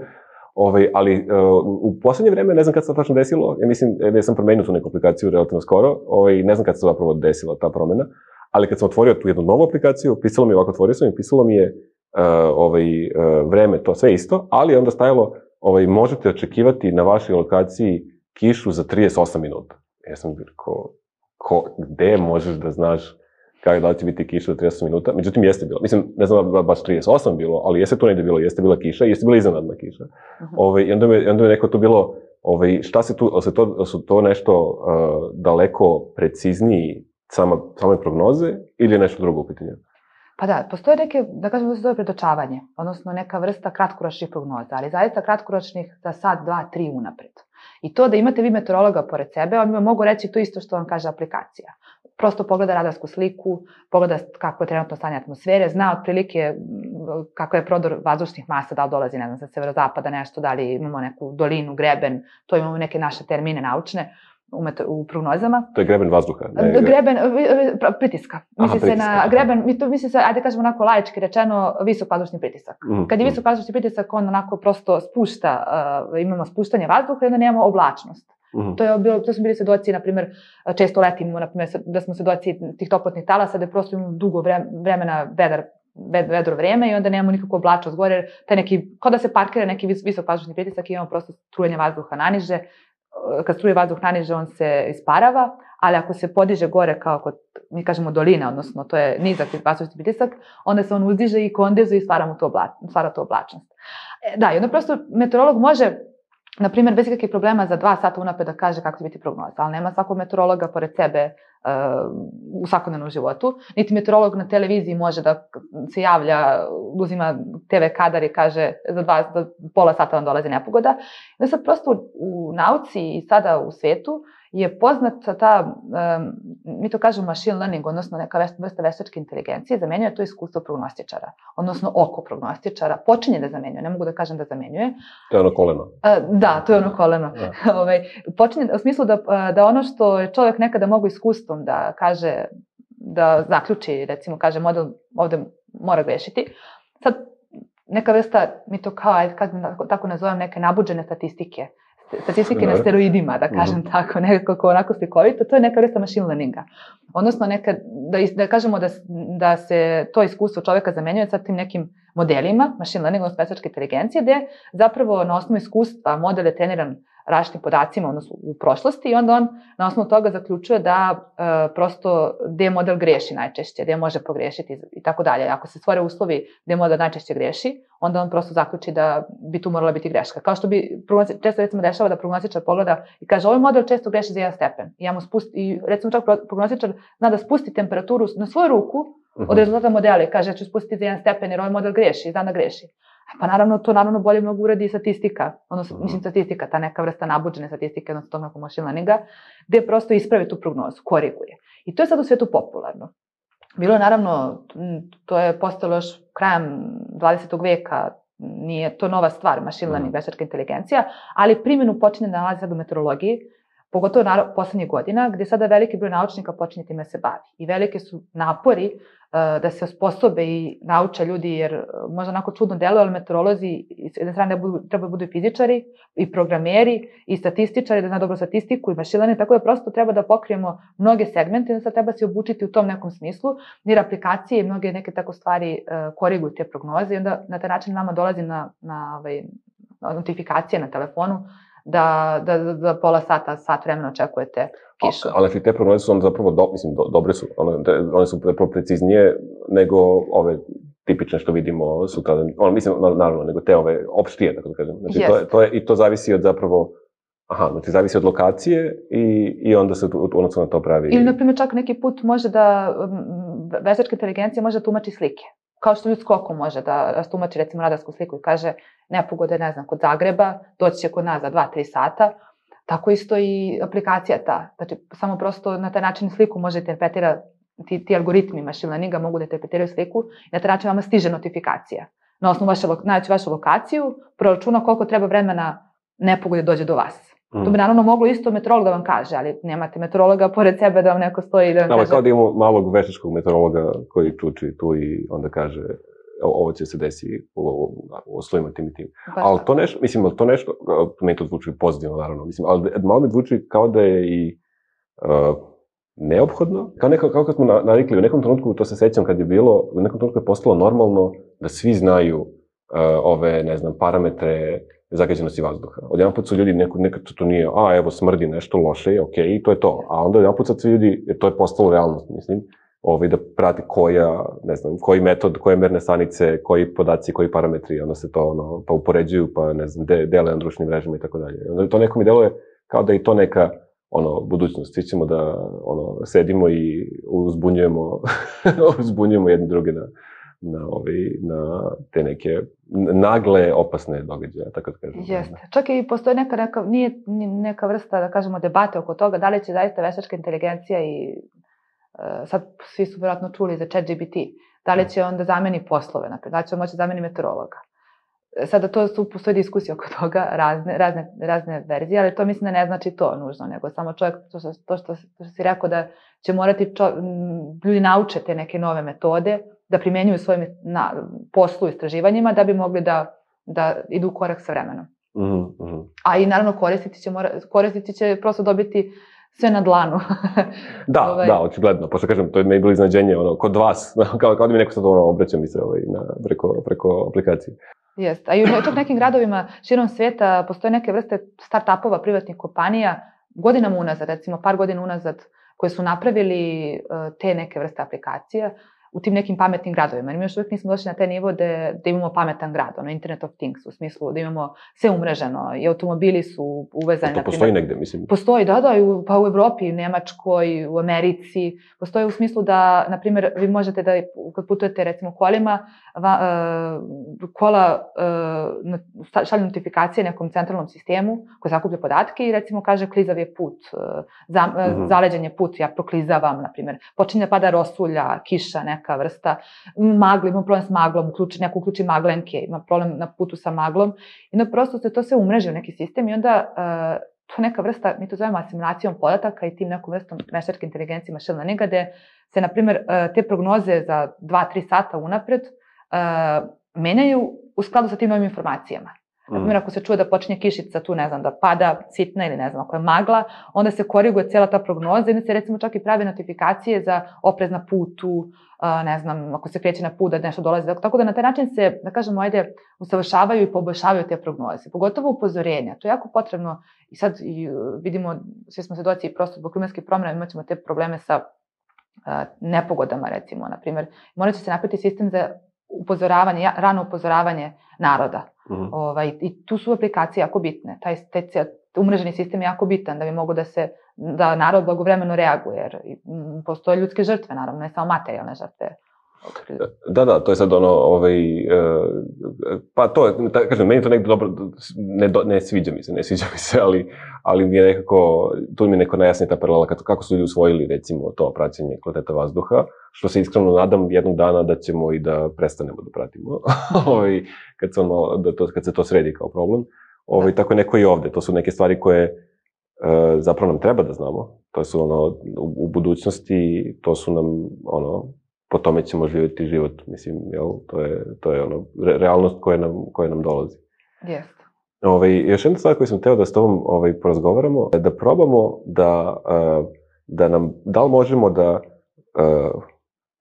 Ovaj, ali uh, u poslednje vreme, ne znam kad se to tačno desilo, ja mislim da sam promenio tu neku aplikaciju relativno skoro, ovaj, ne znam kad se zapravo desila ta promena, ali kad sam otvorio tu jednu novu aplikaciju, pisalo mi je ovako, otvorio sam i pisalo mi je uh, ovaj, uh, vreme, to sve isto, ali onda stajalo, ovaj, možete očekivati na vašoj lokaciji kišu za trideset osam minuta. Ja sam rekao, ko, gde možeš da znaš kako da li će biti kiša za trideset osam minuta? Međutim, jeste bilo. Mislim, ne znam da baš trideset osam bilo, ali jeste to negde bilo, jeste bila kiša i jeste bila iznenadna kiša. Uh-huh. Ove, I onda me, onda me neko to bilo, ove, šta se tu, se to, su to nešto uh, daleko precizniji sama, same prognoze ili je nešto drugo u pitanju? Pa da, postoje neke, da kažemo da se zove predočavanje, odnosno neka vrsta kratkoročnih prognoza, ali zaista kratkoročnih za sat, dva, tri unapred. I to da imate vi meteorologa pored sebe, on vam mogu reći to isto što vam kaže aplikacija. Prosto pogleda radarsku sliku, pogleda kako je trenutno stanje atmosfere, zna otprilike kako je prodor vazdušnih masa, da li dolazi, ne znam, sa severozapada nešto, da li imamo neku dolinu, greben, to imamo neke naše termine naučne u prognozama. To je greben vazduha? Ne, greben, pritiska. Misli se na greben, misli se, ajde kažemo onako laički rečeno, visok vazdušni pritisak. Mm, Kad je visok vazdušni pritisak, on onako prosto spušta, uh, imamo spuštanje vazduha i onda nemamo oblačnost. Mm. To, je bilo, to smo bili svedoci, na primjer, često letimo, na primjer, da smo svedoci tih toplotnih talasa, da je prosto imamo dugo vremena vedar, vedro vreme i onda nemamo nikakvu oblačnost gore, taj neki, kao da se parkira neki visok vazdušni pritisak i imamo prosto strujanje vazduha naniže, kad struje vazduh naniže, on se isparava, ali ako se podiže gore kao kod, mi kažemo dolina, odnosno to je nizak vazdušni pritisak, onda se on uzdiže i kondenzuje i stvara, mu to obla, stvara to oblačnost. Da, i onda prosto meteorolog može, na primjer, bez ikakvih problema za dva sata unapred da kaže kako će biti prognoza, ali nema svakog meteorologa pored sebe uh, u svakodnevnom životu. Niti meteorolog na televiziji može da se javlja, uzima te ve kadar i kaže za, dva, za pola sata vam dolazi nepogoda. Da sad prosto u, u nauci i sada u svetu je poznata ta, um, mi to kažemo machine learning, odnosno neka vrsta veštačke inteligencije, zamenjuje to iskustvo prognostičara, odnosno oko prognostičara, počinje da zamenjuje, ne mogu da kažem da zamenjuje. To je ono koleno. Uh, da, to je ono koleno. Ja. Ove, počinje u smislu da, da ono što je čovjek nekada mogu iskustvom da kaže, da zaključi, recimo kaže model ovde mora grešiti, sad neka vrsta, mi to kao, ajde kad tako nazovem, neke nabuđene statistike, statistike na steroidima, da kažem mm-hmm. tako, nekako onako slikovito, to je neka vrsta machine learninga. Odnosno, neka, da, da kažemo da, da se to iskustvo čoveka zamenjuje sa tim nekim modelima, machine learning, odnosno veštačke inteligencije, gde zapravo na osnovu iskustva model je treniran različitim podacima, odnosno u prošlosti, i onda on na osnovu toga zaključuje da e, prosto gde model greši najčešće, gde može pogrešiti i tako dalje. Ako se stvore uslovi gde model najčešće greši, onda on prosto zaključi da bi tu morala biti greška. Kao što bi često recimo dešava da prognostičar pogleda i kaže ovaj model često greši za jedan stepen. I, ja mu spusti, i recimo čak prognostičar zna da spusti temperaturu na svoju ruku od rezultata modela i kaže ja ću spustiti za jedan stepen jer ovaj model greši i zna da greši. Pa naravno, to naravno bolje mnogo uradi i statistika, odnosno, mislim, statistika, ta neka vrsta nabuđene statistike, odnosno tog nekog machine learninga, gde prosto ispravi tu prognozu, koriguje. I to je sad u svetu popularno. Bilo je naravno, to je postalo još krajem dvadesetog veka, nije to nova stvar, machine learning, veštačka inteligencija, ali primjenu počinje da nalazi sad u meteorologiji, pogotovo naravno poslednjih godina, gde sada veliki broj naučnika počinje time se bavi. I velike su napori uh, da se osposobe i nauče ljudi, jer uh, možda onako čudno deluje, ali meteorolozi s jedne strane budu, treba budu i fizičari, i programeri, i statističari, da zna dobro statistiku, i machine learning, tako da prosto treba da pokrijemo mnoge segmente, i da sad treba se obučiti u tom nekom smislu, jer aplikacije i mnoge neke tako stvari uh, koriguju te prognoze, i onda na taj način nama dolazi na, na ovaj, notifikacije na telefonu, da, da, da, da pola sata, sat vremena očekujete kišu. Ali znači te prognoze su onda zapravo, do, mislim, do, dobre su, one, one su zapravo preciznije nego ove tipične što vidimo sutra, ono, mislim, naravno, nego te ove opštije, tako da kažem. Znači, yes. to, je, to je, i to zavisi od zapravo, aha, znači zavisi od lokacije i, i onda se odnosno na to pravi. Ili, na primjer, čak neki put može da, veštačka inteligencija može da tumači slike. Kao što ljudsko oko može da rastumači, recimo, radarsku sliku i kaže nepogode, ne znam, kod Zagreba, doći će kod nas za dva do tri sata, tako isto i aplikacija ta. Znači, samo prosto na taj način sliku može interpretira, ti, ti algoritmi machine learninga mogu da interpretiraju sliku i na taj način vama stiže notifikacija. Na osnovu vaše, naći vašu lokaciju, proračuna koliko treba vremena nepogode dođe do vas. To bi naravno moglo isto meteorolog da vam kaže, ali nemate meteorologa pored sebe da vam neko stoji i da vam no, kaže... Kao da imamo malog veštačkog meteorologa koji čuči tu i onda kaže ovo će se desi u uslovima tim i tim. Baš ali to nešto, mislim, ali to nešto, meni to zvuči pozitivno naravno, mislim, ali malo mi zvuči kao da je i uh, neophodno. Kao, neko, kao kad smo navikli, u nekom trenutku, to se sećam kad je bilo, u nekom trenutku je postalo normalno da svi znaju uh, ove, ne znam, parametre zagađenosti vazduha. Odjedan put su ljudi, neko, nekad to nije, a evo smrdi nešto loše, ok, i to je to. A onda odjedan put sad svi ljudi, to je postalo realnost, mislim, ovaj, da prati koja, ne znam, koji metod, koje merne stanice, koji podaci, koji parametri, onda se to, ono, pa upoređuju, pa ne znam, de, dele na društvenim mrežama i tako dalje. Onda to neko mi deluje kao da je to neka, ono, budućnost. Svi ćemo da, ono, sedimo i uzbunjujemo, uzbunjujemo jedni druge na, na, ovaj, na te neke nagle, opasne događaje, tako da kažem. Jeste. Čak i postoji neka, neka, nije neka vrsta, da kažemo, debate oko toga, da li će zaista veštačka inteligencija i uh, sad svi su vjerojatno čuli za ChatGPT, da li će on da zameni poslove, naprijed, da li će on moći da zameni meteorologa. Sada to su, postoji diskusija oko toga, razne, razne, razne verzije, ali to mislim da ne znači to nužno, nego samo čovjek, to što, to što, to što si rekao da će morati čo, ljudi nauče te neke nove metode, da primenjuju svojim na, poslu i istraživanjima, da bi mogli da, da idu u korak sa vremenom. Mm-hmm. A i naravno korisnici će, mora, korisnici će prosto dobiti sve na dlanu. Da, ovaj... da, očigledno. Pošto kažem, to je meni bilo iznenađenje, ono, kod vas, kao, kao da mi neko sad ono obraća mi se ovaj, na, preko, preko aplikacije. Jest. A i u čak nekim gradovima širom sveta postoje neke vrste start-upova, privatnih kompanija, godinama unazad, recimo par godina unazad, koje su napravili uh, te neke vrste aplikacija u tim nekim pametnim gradovima. Jer mi još uvijek nismo došli na taj nivo da, da imamo pametan grad, ono Internet of Things, u smislu da imamo sve umreženo i automobili su uvezani. To postoji negde, mislim? Postoji, da, da, u, pa u Evropi, u Nemačkoj, u Americi. Postoji u smislu da, na primjer, vi možete da, kad putujete recimo kolima, va, uh, kola uh, šalju notifikacije nekom centralnom sistemu koji sakuplja podatke i recimo kaže klizav je put, uh, za, uh, mm-hmm. zaleđen je put, ja proklizavam, na primjer. Počinje pada rosulja, kiša, neka vrsta, magla, ima problem s maglom, uključi, neko uključi maglenke, ima problem na putu sa maglom i onda prosto se to sve umreži u neki sistem i onda uh, to neka vrsta, mi to zovemo asimulacijom podataka i tim nekom vrstom veštačke inteligencije machine learninga, gde se, na primjer, uh, te prognoze za dva do tri sata unapred uh, menjaju u skladu sa tim novim informacijama. Na primjer, ako se čuje da počinje kišica tu, ne znam, da pada sitna ili ne znam, ako je magla, onda se koriguje cijela ta prognoza i onda se recimo čak i pravi notifikacije za oprez na putu, ne znam, ako se kreće na put da nešto dolazi. Tako da na taj način se, da kažemo, ajde, usavršavaju i poboljšavaju te prognoze. Pogotovo upozorenja. To je jako potrebno i sad i vidimo, svi smo svedoci i prosto zbog klimatskih promjena imat ćemo te probleme sa nepogodama, recimo, na primjer. Morat će se napraviti sistem za upozoravanje, rano upozoravanje naroda. Mm-hmm. Ovaj, i tu su aplikacije jako bitne. Taj, taj umreženi sistem je jako bitan da bi mogo da se, da narod blagovremeno reaguje, jer postoje ljudske žrtve, naravno, ne samo materijalne žrtve. Da, da, to je sad ono, ovaj, uh, pa to je, ta, kažem, meni to nekako dobro, ne, do, ne sviđa mi se, ne sviđa mi se, ali, ali mi je nekako, tu mi je neko najjasnija ta paralela, kako su ljudi usvojili, recimo, to praćenje kvaliteta vazduha, što se iskreno nadam jednog dana da ćemo i da prestanemo da pratimo, ovaj, kad, se ono, da to, kad se to sredi kao problem. Ovaj, tako je neko i ovde, to su neke stvari koje uh, zapravo nam treba da znamo, to su ono, u, u budućnosti, to su nam, ono, po tome ćemo živjeti život, mislim, jel, to je, to je ono, re, realnost koja nam, koja nam dolazi. Jeste. Ovaj, još jedna stvar koju sam teo da s tobom ovaj, porazgovaramo, je da probamo da, uh, da nam, da li možemo da uh,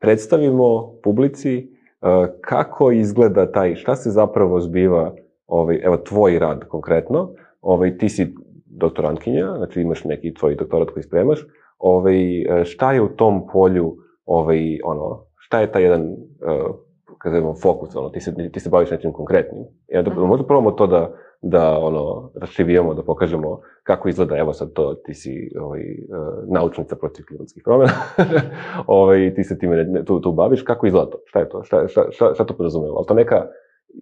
predstavimo publici uh, kako izgleda taj, šta se zapravo zbiva, ovaj, evo, tvoj rad konkretno, ovaj, ti si doktorantkinja, znači imaš neki tvoj doktorat koji spremaš, ovaj, šta je u tom polju, ovaj, ono, šta je taj jedan, uh, kažemo, fokus, ono, ti se, ti se baviš nečim konkretnim. Ja, da, uh-huh. Možda probamo to da, da, ono, raščivijemo, da pokažemo kako izgleda, evo sad to, ti si, ovaj, uh, naučnica protiv klimatskih promjena, ovaj, ti se time tu, tu baviš, kako izgleda to, šta je to, šta, šta, šta, šta to podrazumeva, ali to neka,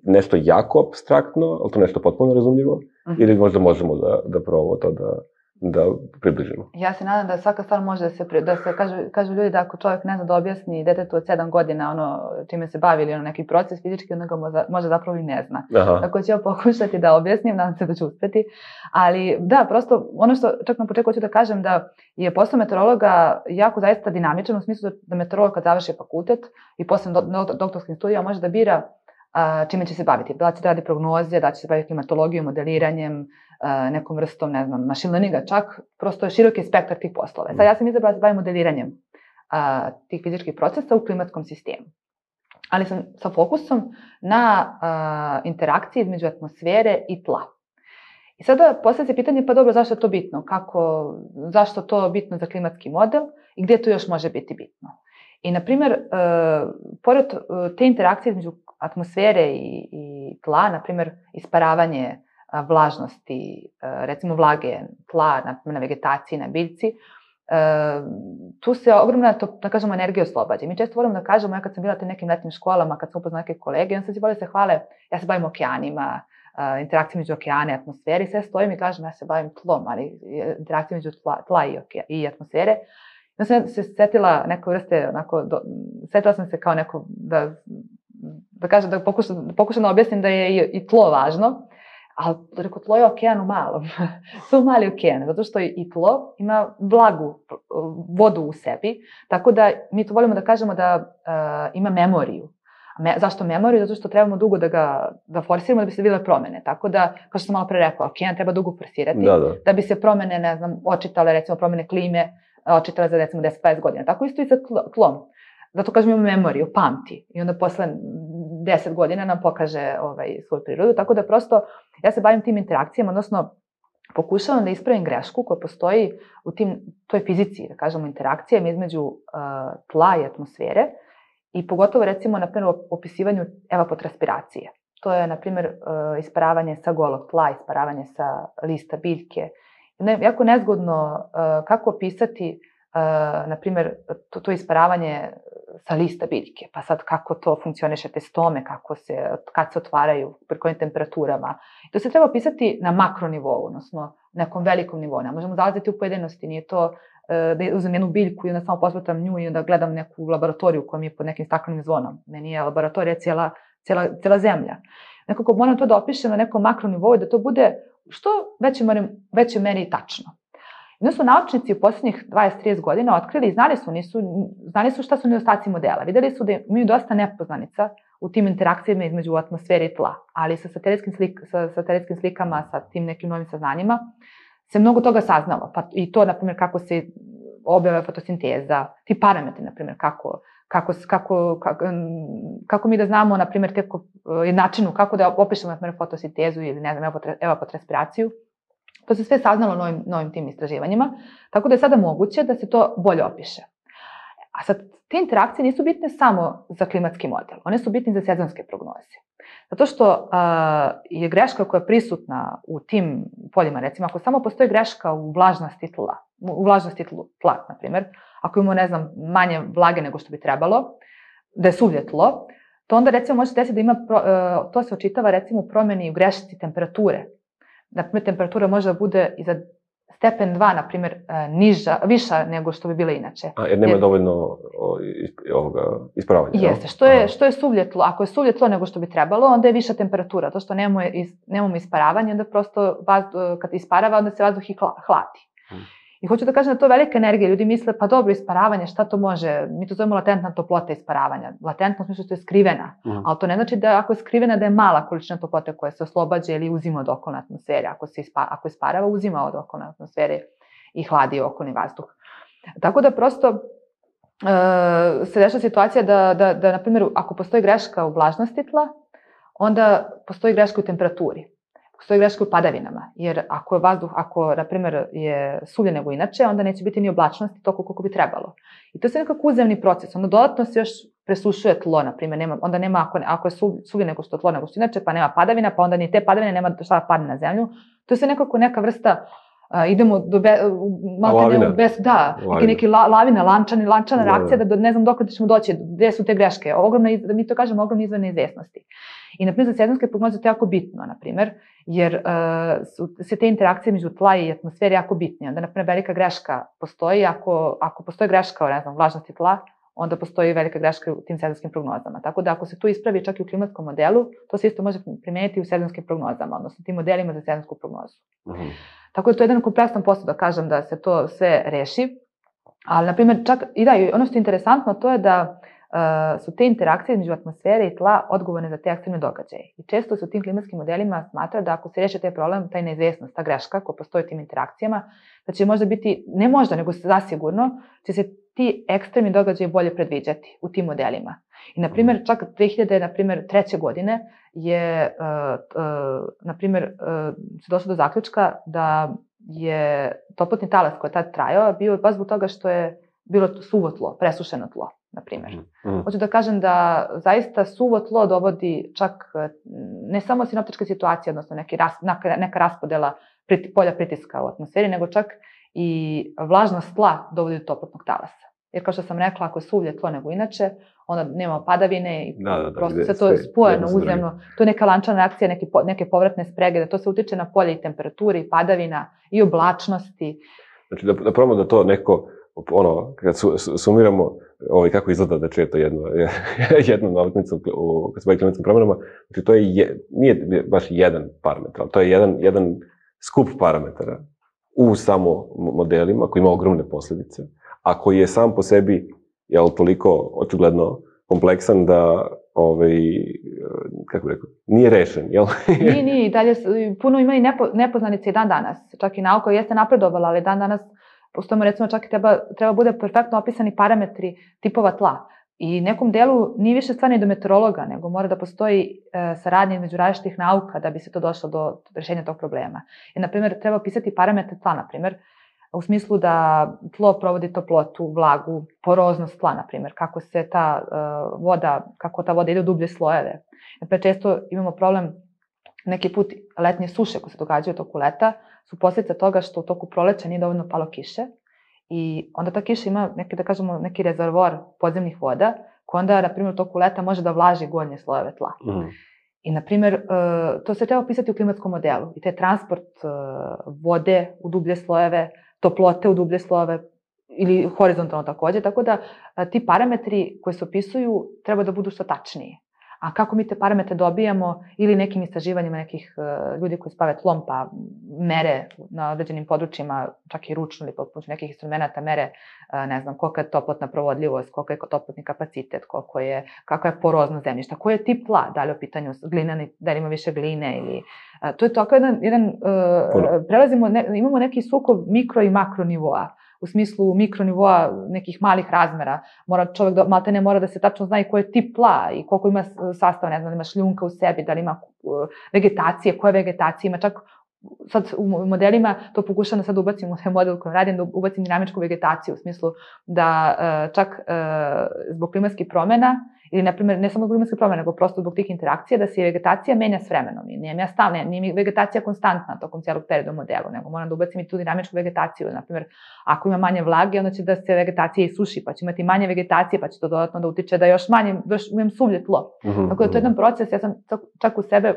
nešto jako apstraktno, ali to nešto potpuno razumljivo, uh-huh. ili možda možemo da, da probamo to da, da približimo. Ja se nadam da svaka stvar može da se, da se kažu, kažu ljudi da ako čovjek ne zna da objasni detetu od sedam godina ono čime se bavi ili ono neki proces fizički, onda ga možda, možda zapravo i ne zna. Aha. Tako ću ja pokušati da objasnim, nadam se da ću uspeti. Ali da, prosto ono što čak na početku hoću da kažem da je posao meteorologa jako zaista dinamičan u smislu da meteorolog kad završi fakultet i posle do, do, doktorskim studijama može da bira a, čime će se baviti. Da će da radi prognoze, da će se baviti klimatologijom, modeliranjem, a, nekom vrstom, ne znam, machine learninga čak, prosto je široki spektar tih poslova. Sad ja sam izabrala da se bavim modeliranjem a, tih fizičkih procesa u klimatskom sistemu. Ali sam sa fokusom na a, interakciji između atmosfere i tla. I sada postavlja se pitanje, pa dobro, zašto je to bitno? Kako, zašto to bitno za klimatski model i gdje to još može biti bitno? I, na primjer, e, pored te interakcije između atmosfere i, i tla, na primjer, isparavanje a, vlažnosti, a, recimo vlage tla na, na vegetaciji, na biljci, e, tu se ogromna, to, da kažemo, energija oslobađa. Mi često volimo da kažemo, ja kad sam bila u nekim letnim školama, kad sam upoznala neke kolege, on sam si volio se hvale, ja se bavim okeanima, Uh, interakcije među okeane i atmosfere, sve stojim i kažem ja se bavim tlom, ali interakcije među tla, tla i, oke, i atmosfere. Ja sam se setila neko vrste, onako, do, setila sam se kao neko, da, da kažem, da pokušam, da pokušam da objasnim da je i, i tlo važno, ali reko, tlo je okean u malom, su mali okean, zato što i tlo ima vlagu, vodu u sebi, tako da mi to volimo da kažemo da uh, ima memoriju. Me, zašto memoriju? Zato što trebamo dugo da ga da forsiramo da bi se videle promene. Tako da, kao što sam malo pre rekla, okean treba dugo forsirati da, da. da bi se promene, ne znam, očitale, recimo promene klime, očitale za recimo deset do pedeset godina. Tako isto i sa tlom. Zato kažem imamo memoriju, pamti. I onda posle deset godina nam pokaže ovaj, svoju prirodu. Tako da prosto ja se bavim tim interakcijama, odnosno pokušavam da ispravim grešku koja postoji u tim, toj fizici, da kažemo, interakcijama između uh, tla i atmosfere i pogotovo recimo na primjer u opisivanju evapotranspiracije. To je na primjer uh, isparavanje sa golog tla, isparavanje sa lista biljke. Ne, jako nezgodno uh, kako opisati uh, na primjer to, to isparavanje sa lista biljke, pa sad kako to funkcioniše te stome, kako se, kad se otvaraju, pri kojim temperaturama. To se treba opisati na makronivou, odnosno nekom velikom nivou. Ne možemo zalaziti u pojedinosti, nije to da uzmem jednu biljku i onda samo posmatram nju i onda gledam neku laboratoriju koja mi je pod nekim staklenim zvonom. Meni je laboratorija cijela, cijela, cijela zemlja. Nekako moram to da opišem na nekom makronivou i da to bude što veće, veće meri tačno. Onda su naučnici u posljednjih dvadeset do trideset godina otkrili i znali su, nisu, znali su šta su nedostaci modela. Videli su da imaju dosta nepoznanica u tim interakcijama između atmosfere i tla, ali sa satelitskim, slik, sa satelitskim slikama, sa tim nekim novim saznanjima, se mnogo toga saznalo. Pa i to, na primjer, kako se objava fotosinteza, ti parametri, na primjer, kako, kako, kako, kako, kako mi da znamo, na primjer, teko, načinu kako da opišemo, na primjer, fotosintezu ili, ne znam, evapotranspiraciju. To se sve saznalo novim, novim tim istraživanjima, tako da je sada moguće da se to bolje opiše. A sad, te interakcije nisu bitne samo za klimatski model, one su bitne za sezonske prognoze. Zato što uh, je greška koja je prisutna u tim poljima, recimo, ako samo postoji greška u vlažnosti tla, u vlažnosti tla, na primjer, ako imamo, ne znam, manje vlage nego što bi trebalo, da je suvlje tlo, to onda, recimo, može desiti da ima, pro, uh, to se očitava, recimo, u promjeni u grešci temperature. Na primjer, temperatura može da bude i za stepen dva, na primjer, niža, viša nego što bi bila inače. A, jer nema jer, dovoljno ovoga isparavanja. Jeste, što je, što je suvlje tlo. Ako je suvlje tlo nego što bi trebalo, onda je viša temperatura. To što nemamo, is, nemamo isparavanje, onda prosto vazdu, kad isparava, onda se vazduh i hladi. Hmm. I hoću da kažem da to je velika energija. Ljudi misle, pa dobro, isparavanje, šta to može? Mi to zovemo latentna toplota isparavanja. Latentno smislu što je skrivena. Mm. Ali to ne znači da ako je skrivena da je mala količina toplote koja se oslobađa ili uzima od okolne atmosfere. Ako se ispa, ako isparava, uzima od okolne atmosfere i hladi okolni vazduh. Tako da prosto uh, se dešava situacija da, da, da, na primjer, ako postoji greška u vlažnosti tla, onda postoji greška u temperaturi. Postoji greška u padavinama, jer ako je vazduh, ako, na primjer, je suvlje nego inače, onda neće biti ni oblačnosti toliko koliko bi trebalo. I to je sve nekako uzemni proces. Onda dodatno se još presušuje tlo, na primjer, nema, onda nema, ako, ako je suvlje nego što tlo nego što inače, pa nema padavina, pa onda ni te padavine nema šta da padne na zemlju. To je sve nekako neka vrsta, uh, idemo do be, malo te nemo bez, da, neki, neki la, lavina, lančana, lančana reakcija, da, da ne znam dok ćemo doći, gdje su te greške. Ogromna, da mi to kažemo, ogromna izvor neizvjesnosti. I, na primjer, za sezonske prognoze to je jako bitno, na primjer, jer uh, su se te interakcije među tla i atmosfere jako bitne. Onda, na primjer, velika greška postoji. Ako, ako postoji greška u, ne znam, vlažnosti tla, onda postoji velika greška u tim sezonskim prognozama. Tako da, ako se tu ispravi čak i u klimatskom modelu, to se isto može primijeniti i u sezonskim prognozama, odnosno tim modelima za sezonsku prognozu. Mm-hmm. Tako da to je jedan kompleksan posao, da kažem, da se to sve reši. Ali, na primjer, čak i da, ono što je interesantno, to je da Uh, su te interakcije između atmosfere i tla odgovorne za te ekstremne događaje. I često se u tim klimatskim modelima smatra da ako se reši taj problem, taj neizvjesnost, ta greška koja postoji u tim interakcijama, da će možda biti, ne možda, nego zasigurno, će se ti ekstremni događaji bolje predviđati u tim modelima. I, na primjer, čak dve hiljade treće. godine je, uh, uh, na primjer, uh, se došlo do zaključka da je toplotni talas koji je tad trajao bio baš zbog toga što je bilo suvo tlo, presušeno tlo, na primjer. Mm. Hoću da kažem da zaista suvo tlo dovodi čak ne samo sinoptičke situacije, odnosno neki ras, neka raspodela priti, polja pritiska u atmosferi, nego čak i vlažnost tla dovodi do toplotnog talasa. Jer kao što sam rekla, ako je suvlje tlo nego inače, onda nema padavine i da, da, da, prosto se to je spojeno uzemno. To je neka lančana reakcija, neke, neke povratne sprege, da to se utiče na polje i temperaturi, i padavina, i oblačnosti. Znači da, da probamo da to neko, ono, kad su, sumiramo ovaj, kako izgleda da čuje to jedno, jednu nautnicu u, kad se bavi klimatskim promjenama, znači to je, je nije baš jedan parametar, ali to je jedan, jedan skup parametara u samo modelima koji ima ogromne posljedice, a koji je sam po sebi, jel, toliko očigledno kompleksan da, ovaj, kako bih rekao, nije rešen, jel? Nije, nije, i dalje puno ima i nepo, nepoznanica i dan danas. Čak i nauka jeste napredovala, ali dan danas postojimo, recimo, čak i treba, treba bude perfektno opisani parametri tipova tla. I nekom delu nije više stvar ni do meteorologa, nego mora da postoji e, saradnja između različitih nauka da bi se to došlo do rešenja tog problema. I, na primjer, treba opisati parametre tla, na primjer, u smislu da tlo provodi toplotu, vlagu, poroznost tla, na primjer, kako se ta uh, voda, kako ta voda ide u dublje slojeve. Naprimjer, često imamo problem, neki put letnje suše koje se događaju u toku leta, su posljedica toga što u toku proleća nije dovoljno palo kiše i onda ta kiša ima neki, da kažemo, neki rezervoar podzemnih voda, koja onda, na primjer, u toku leta može da vlaži gornje slojeve tla. Mm. I, na primjer, to se treba opisati u klimatskom modelu. I taj transport vode u dublje slojeve, toplote u dublje slojeve ili horizontalno takođe, tako da ti parametri koji se opisuju treba da budu što tačniji. A kako mi te parametre dobijamo ili nekim istraživanjima nekih ljudi koji se bave tlom pa mere na određenim područjima, čak i ručno ili pomoću nekih instrumenta mere, ne znam, kolika je toplotna provodljivost, koliko je toplotni kapacitet, koliko je, kakva je poroznost zemljišta, koji je tip tla, da li je u pitanju glinani, da li ima više gline ili... To je tako jedan, jedan uh, prelazimo, ne, imamo neki sukob mikro i makro nivoa. U smislu mikronivoa nekih malih razmera. Mora čovjek, da, malte ne mora da se tačno zna i koji je tip tla i koliko ima sastava, ne znam, da li ima šljunka u sebi, da li ima vegetacije, koje vegetacije ima, čak sad u modelima to pokušam da sad ubacim u taj model koji radim, da ubacim dinamičku vegetaciju, u smislu da čak zbog klimatskih promjena, ili, na primjer, ne samo zbog klimatskih promjena, nego prosto zbog tih interakcija, da se i vegetacija menja s vremenom. I nije, ja stalno, nije mi vegetacija konstantna tokom cijelog perioda u modelu, nego moram da ubacim i tu dinamičku vegetaciju. Na primjer, ako ima manje vlage, onda će da se vegetacija isuši, pa će imati manje vegetacije, pa će to dodatno da utiče da još manje, još imam suvlje tlo. Mm-hmm. Tako da to je jedan proces, ja sam čak u sebe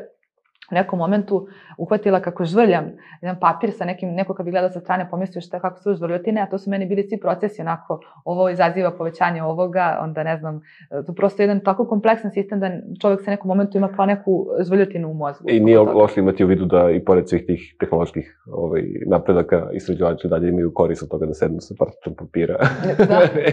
u nekom momentu uhvatila kako žvrljam jedan papir sa nekim, neko kad bi gledao sa strane pomislio šta, kako su žvrljotine, a to su meni bili svi procesi onako, ovo izaziva povećanje ovoga, onda ne znam, to je prosto jedan tako kompleksan sistem da čovjek sa nekom momentu ima kao neku žvrljotinu u mozgu. I nije loše imati u vidu da i pored svih tih tehnoloških ovaj, napredaka istraživači dalje imaju korist od toga da sednu sa parčom papira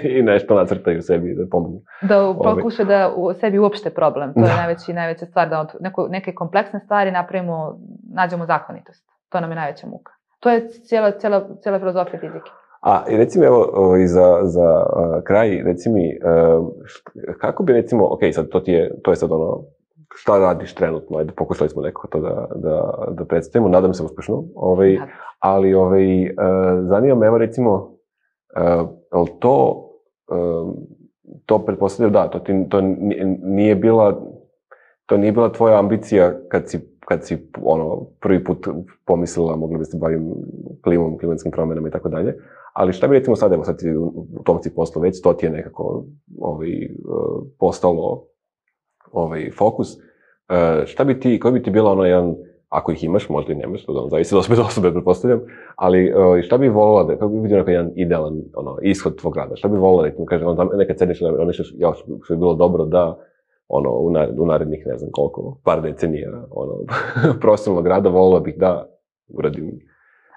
i nešto nacrtaju sebi da pomognu. Da pokuša da u sebi uopšte problem, to je najveći, najveća stvar, da od neko, neke kompleksne stvari napravimo, nađemo zakonitost. To nam je najveća muka. To je cijela, cijela, cijela filozofija fizike. A, i recimo, evo, i za, za uh, kraj, reci mi, uh, kako bi, recimo, ok, sad to ti je, to je sad ono, šta radiš trenutno, ajde, pokušali smo nekako to da, da, da predstavimo, nadam se uspešno, ovaj, ali, ovaj, uh, zanima me, evo, recimo, uh, ali to, uh, to pretpostavljam, da, to, ti, to nije bila, to nije bila tvoja ambicija kad si kad si ono, prvi put pomislila, mogla bi se bavim klimom, klimatskim promjenama i tako dalje. Ali šta bi recimo sad, evo sad ti u tom si poslu već, to ti je nekako ovaj, postalo ovaj, fokus. Šta bi ti, koji bi ti bila ono jedan, ako ih imaš, možda i nemaš, to da zavisi od osobe do osobe, pretpostavljam, ali šta bi volila da, kako bi vidio jedan idealan ono, ishod tvog rada? Šta bi volila da ti kažem, on, nekad sedneš i ono što, što bi bilo dobro da ono, u, nared, u narednih, ne znam koliko, par decenija, ono, profesionalnog rada, volila bih da uradim.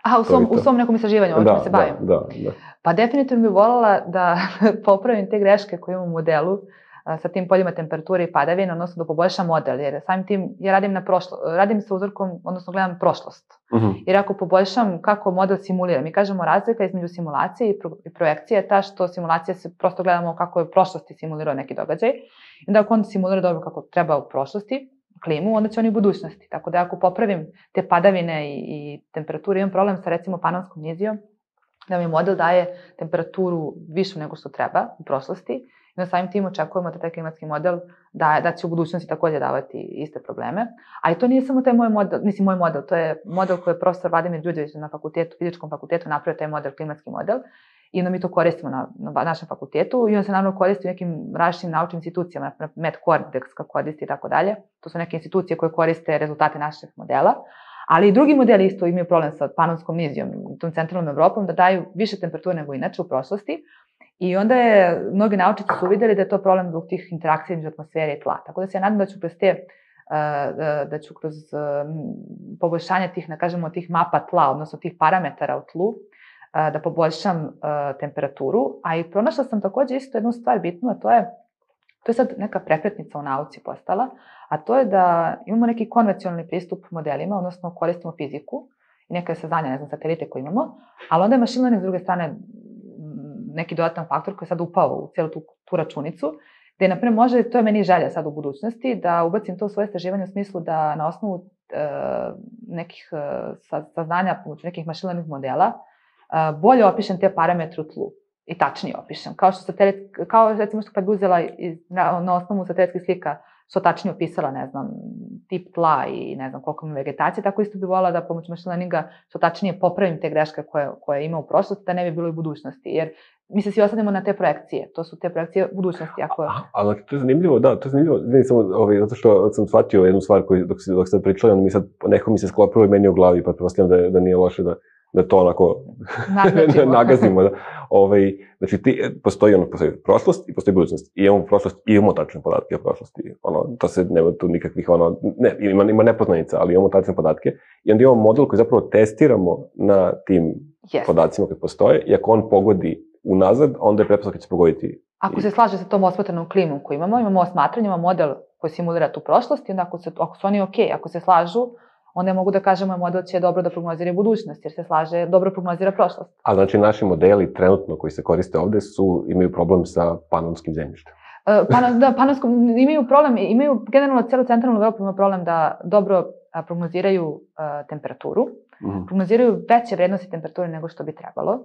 Aha, u svom, u svom nekom istraživanju, ovdje se bavim. Da, da, da. Pa definitivno bih voljela da popravim te greške koje imam u modelu sa tim poljima temperature i padavine, odnosno da poboljšam model, jer samim tim ja radim na prošlo, radim sa uzorkom, odnosno gledam prošlost. Uh-huh. Jer ako poboljšam kako model simulira, mi kažemo razlika između simulacije i, pro, i projekcije je ta što simulacija se prosto gledamo kako je u prošlosti simulirao neki događaj. I da ako on simulira dobro kako treba u prošlosti, klimu, onda će on i u budućnosti. Tako da ako popravim te padavine i, i temperaturu, imam problem sa recimo panonskom nizijom, da mi model daje temperaturu višu nego što treba u prošlosti. I na samim tim očekujemo da taj klimatski model da, da će u budućnosti također davati iste probleme. Ali to nije samo taj moj model, mislim moj model, to je model koji je profesor Vladimir Đurđević na fakultetu, fizičkom fakultetu napravio taj model, klimatski model. I onda mi to koristimo na, na našem fakultetu i on se naravno koristi u nekim različitim naučnim institucijama, na MedCordex koristi i tako dalje. To su neke institucije koje koriste rezultate naših modela. Ali i drugi modeli isto imaju problem sa panonskom nizijom, tom centralnom Evropom, da daju više temperature nego inače u prošlosti. I onda je, mnogi naučnici su uvidjeli da je to problem zbog tih interakcija između atmosfere i tla. Tako da se ja nadam da ću kroz te, da ću kroz poboljšanje tih, ne kažemo, tih mapa tla, odnosno tih parametara u tlu, da poboljšam temperaturu. A i pronašla sam također isto jednu stvar bitnu, a to je To je sad neka prekretnica u nauci postala, a to je da imamo neki konvencionalni pristup modelima, odnosno koristimo fiziku i neke saznanja, ne znam, satelite koje imamo, ali onda je machine learning s druge strane neki dodatan faktor koji je sad upao u cijelu tu, tu računicu, gde, na primjer, može, to je meni želja sad u budućnosti, da ubacim to u svoje istraživanje u smislu da na osnovu e, nekih e, saznanja pomoću nekih machine learning modela e, bolje opišem te parametre u tlu i tačnije opišem. Kao što satelit, kao recimo što kad bi uzela iz, na, na osnovu satelitskih slika što tačnije opisala, ne znam, tip tla i ne znam koliko ima vegetacije, tako isto bi volila da pomoću machine learninga što tačnije popravim te greške koje, koje ima u prošlosti, da ne bi bilo i u budućnosti. Jer mi se svi osadimo na te projekcije. To su te projekcije budućnosti. Ako... A, ali to je zanimljivo, da, to je zanimljivo. Vidim samo, ovaj, zato što sam shvatio jednu stvar koju, dok, dok sad pričali, onda mi sad, neko mi se sklopilo i meni u glavi, pa pretpostavljam da, da nije loše da, da to onako nagazimo. Da. Ovaj, znači, ti, postoji, ono, postoji prošlost i postoji budućnost. I imamo prošlost i imamo tačne podatke o prošlosti. Ono, to se nema tu nikakvih, ono, ne, ima, ima nepoznanica, ali imamo tačne podatke. I onda imamo model koji zapravo testiramo na tim yes. podacima koji postoje. I ako on pogodi unazad, onda je pretpostavka će se pogoditi. Ako se slaže sa tom osmatranom klimom koju imamo, imamo osmatranje, imamo model koji simulira tu prošlost i onda ako, se, ako su oni ok, ako se slažu, onda mogu da kažemo model će dobro da prognozira budućnost, jer se slaže, dobro prognozira prošlost. A znači naši modeli trenutno koji se koriste ovde su, imaju problem sa panonskim zemljištem? Uh, pan, da, panonskom, imaju problem, imaju generalno celu centralnu Evropu ima problem da dobro a, prognoziraju uh, temperaturu, mm-hmm. prognoziraju veće vrednosti temperature nego što bi trebalo.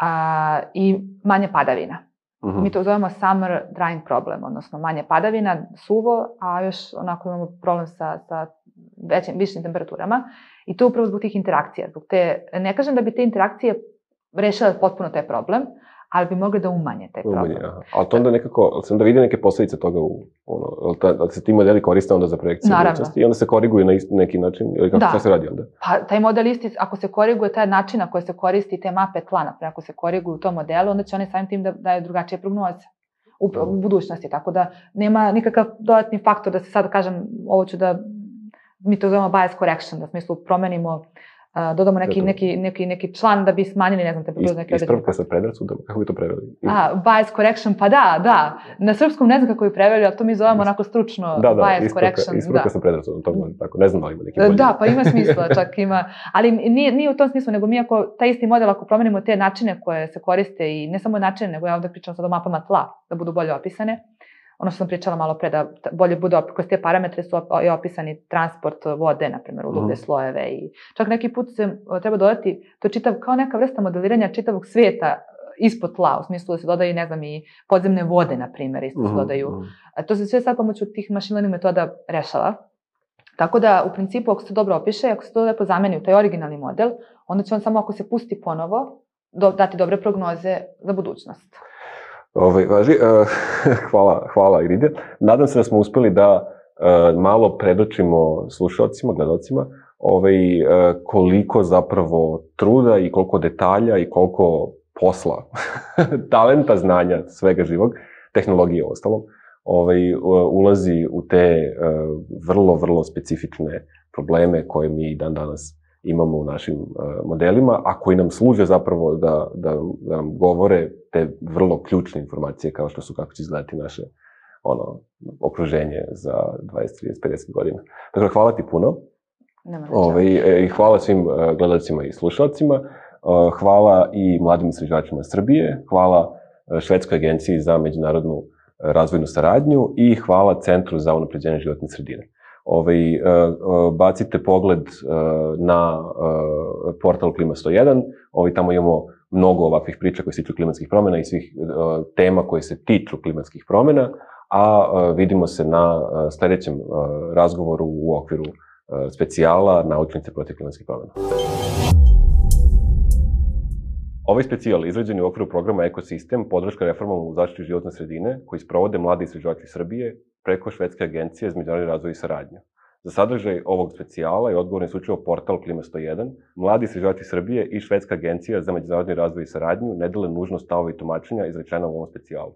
A, i manje padavina. Uh-huh. Mi to zovemo summer drying problem, odnosno manje padavina, suvo, a još onako imamo problem sa, sa većim, višim temperaturama. I to upravo zbog tih interakcija. Zbog te, ne kažem da bi te interakcije rešile potpuno taj problem, ali bi mogli da umanje taj problem. Umanje, aha. Ali to onda nekako, ali se onda vidi neke posledice toga u, ono, da se ti modeli koriste onda za projekcije budućnosti i onda se koriguju na isti neki način, ili kako da. Se radi onda? Pa taj model isti, ako se koriguje taj način na koji se koristi te mape tla, naprijed, ako se koriguju u tom modelu, onda će oni samim tim da daju drugačije prognoze u, u budućnosti, tako da nema nikakav dodatni faktor da se sad kažem, ovo ću da, mi to zovemo bias correction, da u smislu promenimo Uh, dodamo neki, neki, neki, neki član da bi smanjili, ne znam, temperaturu neke određene. Ispravka sa predrasudom, kako bi to preveli? A, bias correction, pa da, da. Na srpskom ne znam kako bi preveli, ali to mi zovemo onako stručno da, da, bias ispravka, correction. Ispravka da. sa predrasudom, to može tako, ne znam da li ima neki bolji. Da, pa ima smisla, čak ima, ali nije, nije u tom smislu, nego mi ako taj isti model, ako promenimo te načine koje se koriste i ne samo načine, nego ja ovde pričam sad o mapama tla, da budu bolje opisane, ono što sam pričala malo pre, da bolje bude, kroz te parametre su opisani transport vode, na primjer, u dublje mm. slojeve i čak neki put se treba dodati, to je čitav, kao neka vrsta modeliranja čitavog svijeta ispod tla, u smislu da se dodaju, ne znam, i podzemne vode, na primjer, isto mm. se dodaju. Mm. To se sve sad pomoću tih machine learning metoda rešava. Tako da, u principu, ako se dobro opiše, ako se to lepo zameni u taj originalni model, onda će on samo ako se pusti ponovo, do, dati dobre prognoze za budućnost. Ove, važi, uh, hvala, hvala Iride. Nadam se da smo uspeli da uh, malo predočimo slušalcima, gledalcima, ovaj, uh, koliko zapravo truda i koliko detalja i koliko posla, talenta, znanja, svega živog, tehnologije ostalom, ovaj, uh, ulazi u te uh, vrlo, vrlo specifične probleme koje mi dan danas imamo u našim uh, modelima, a koji nam služe zapravo da, da, da nam govore te vrlo ključne informacije kao što su kako će izgledati naše ono, okruženje za dvadeset, trideset, pedeset godina. Dakle, hvala ti puno. Ove, i hvala svim uh, gledalcima i slušalcima. Uh, hvala i mladim istraživačima Srbije. Hvala uh, Švedskoj agenciji za međunarodnu uh, razvojnu saradnju i hvala Centru za unapređenje životne sredine. Ovaj, bacite pogled na portal Klima sto jedan, ovaj, tamo imamo mnogo ovakvih priča koje se tiču klimatskih promjena i svih tema koje se tiču klimatskih promjena, a vidimo se na sledećem razgovoru u okviru specijala Naučnice protiv klimatskih promjena. Ovaj specijal izrađen je u okviru programa Ekosistem, podrška reformama u zaštiti životne sredine, koji sprovode mladi istraživači Srbije preko Švedske agencije za međunarodni razvoj i saradnju. Za sadržaj ovog specijala je odgovoran isključivo portal Klima sto jedan, mladi istraživači Srbije i Švedska agencija za međunarodni razvoj i saradnju ne dele nužno stavove i tumačenja izrečena u ovom specijalu.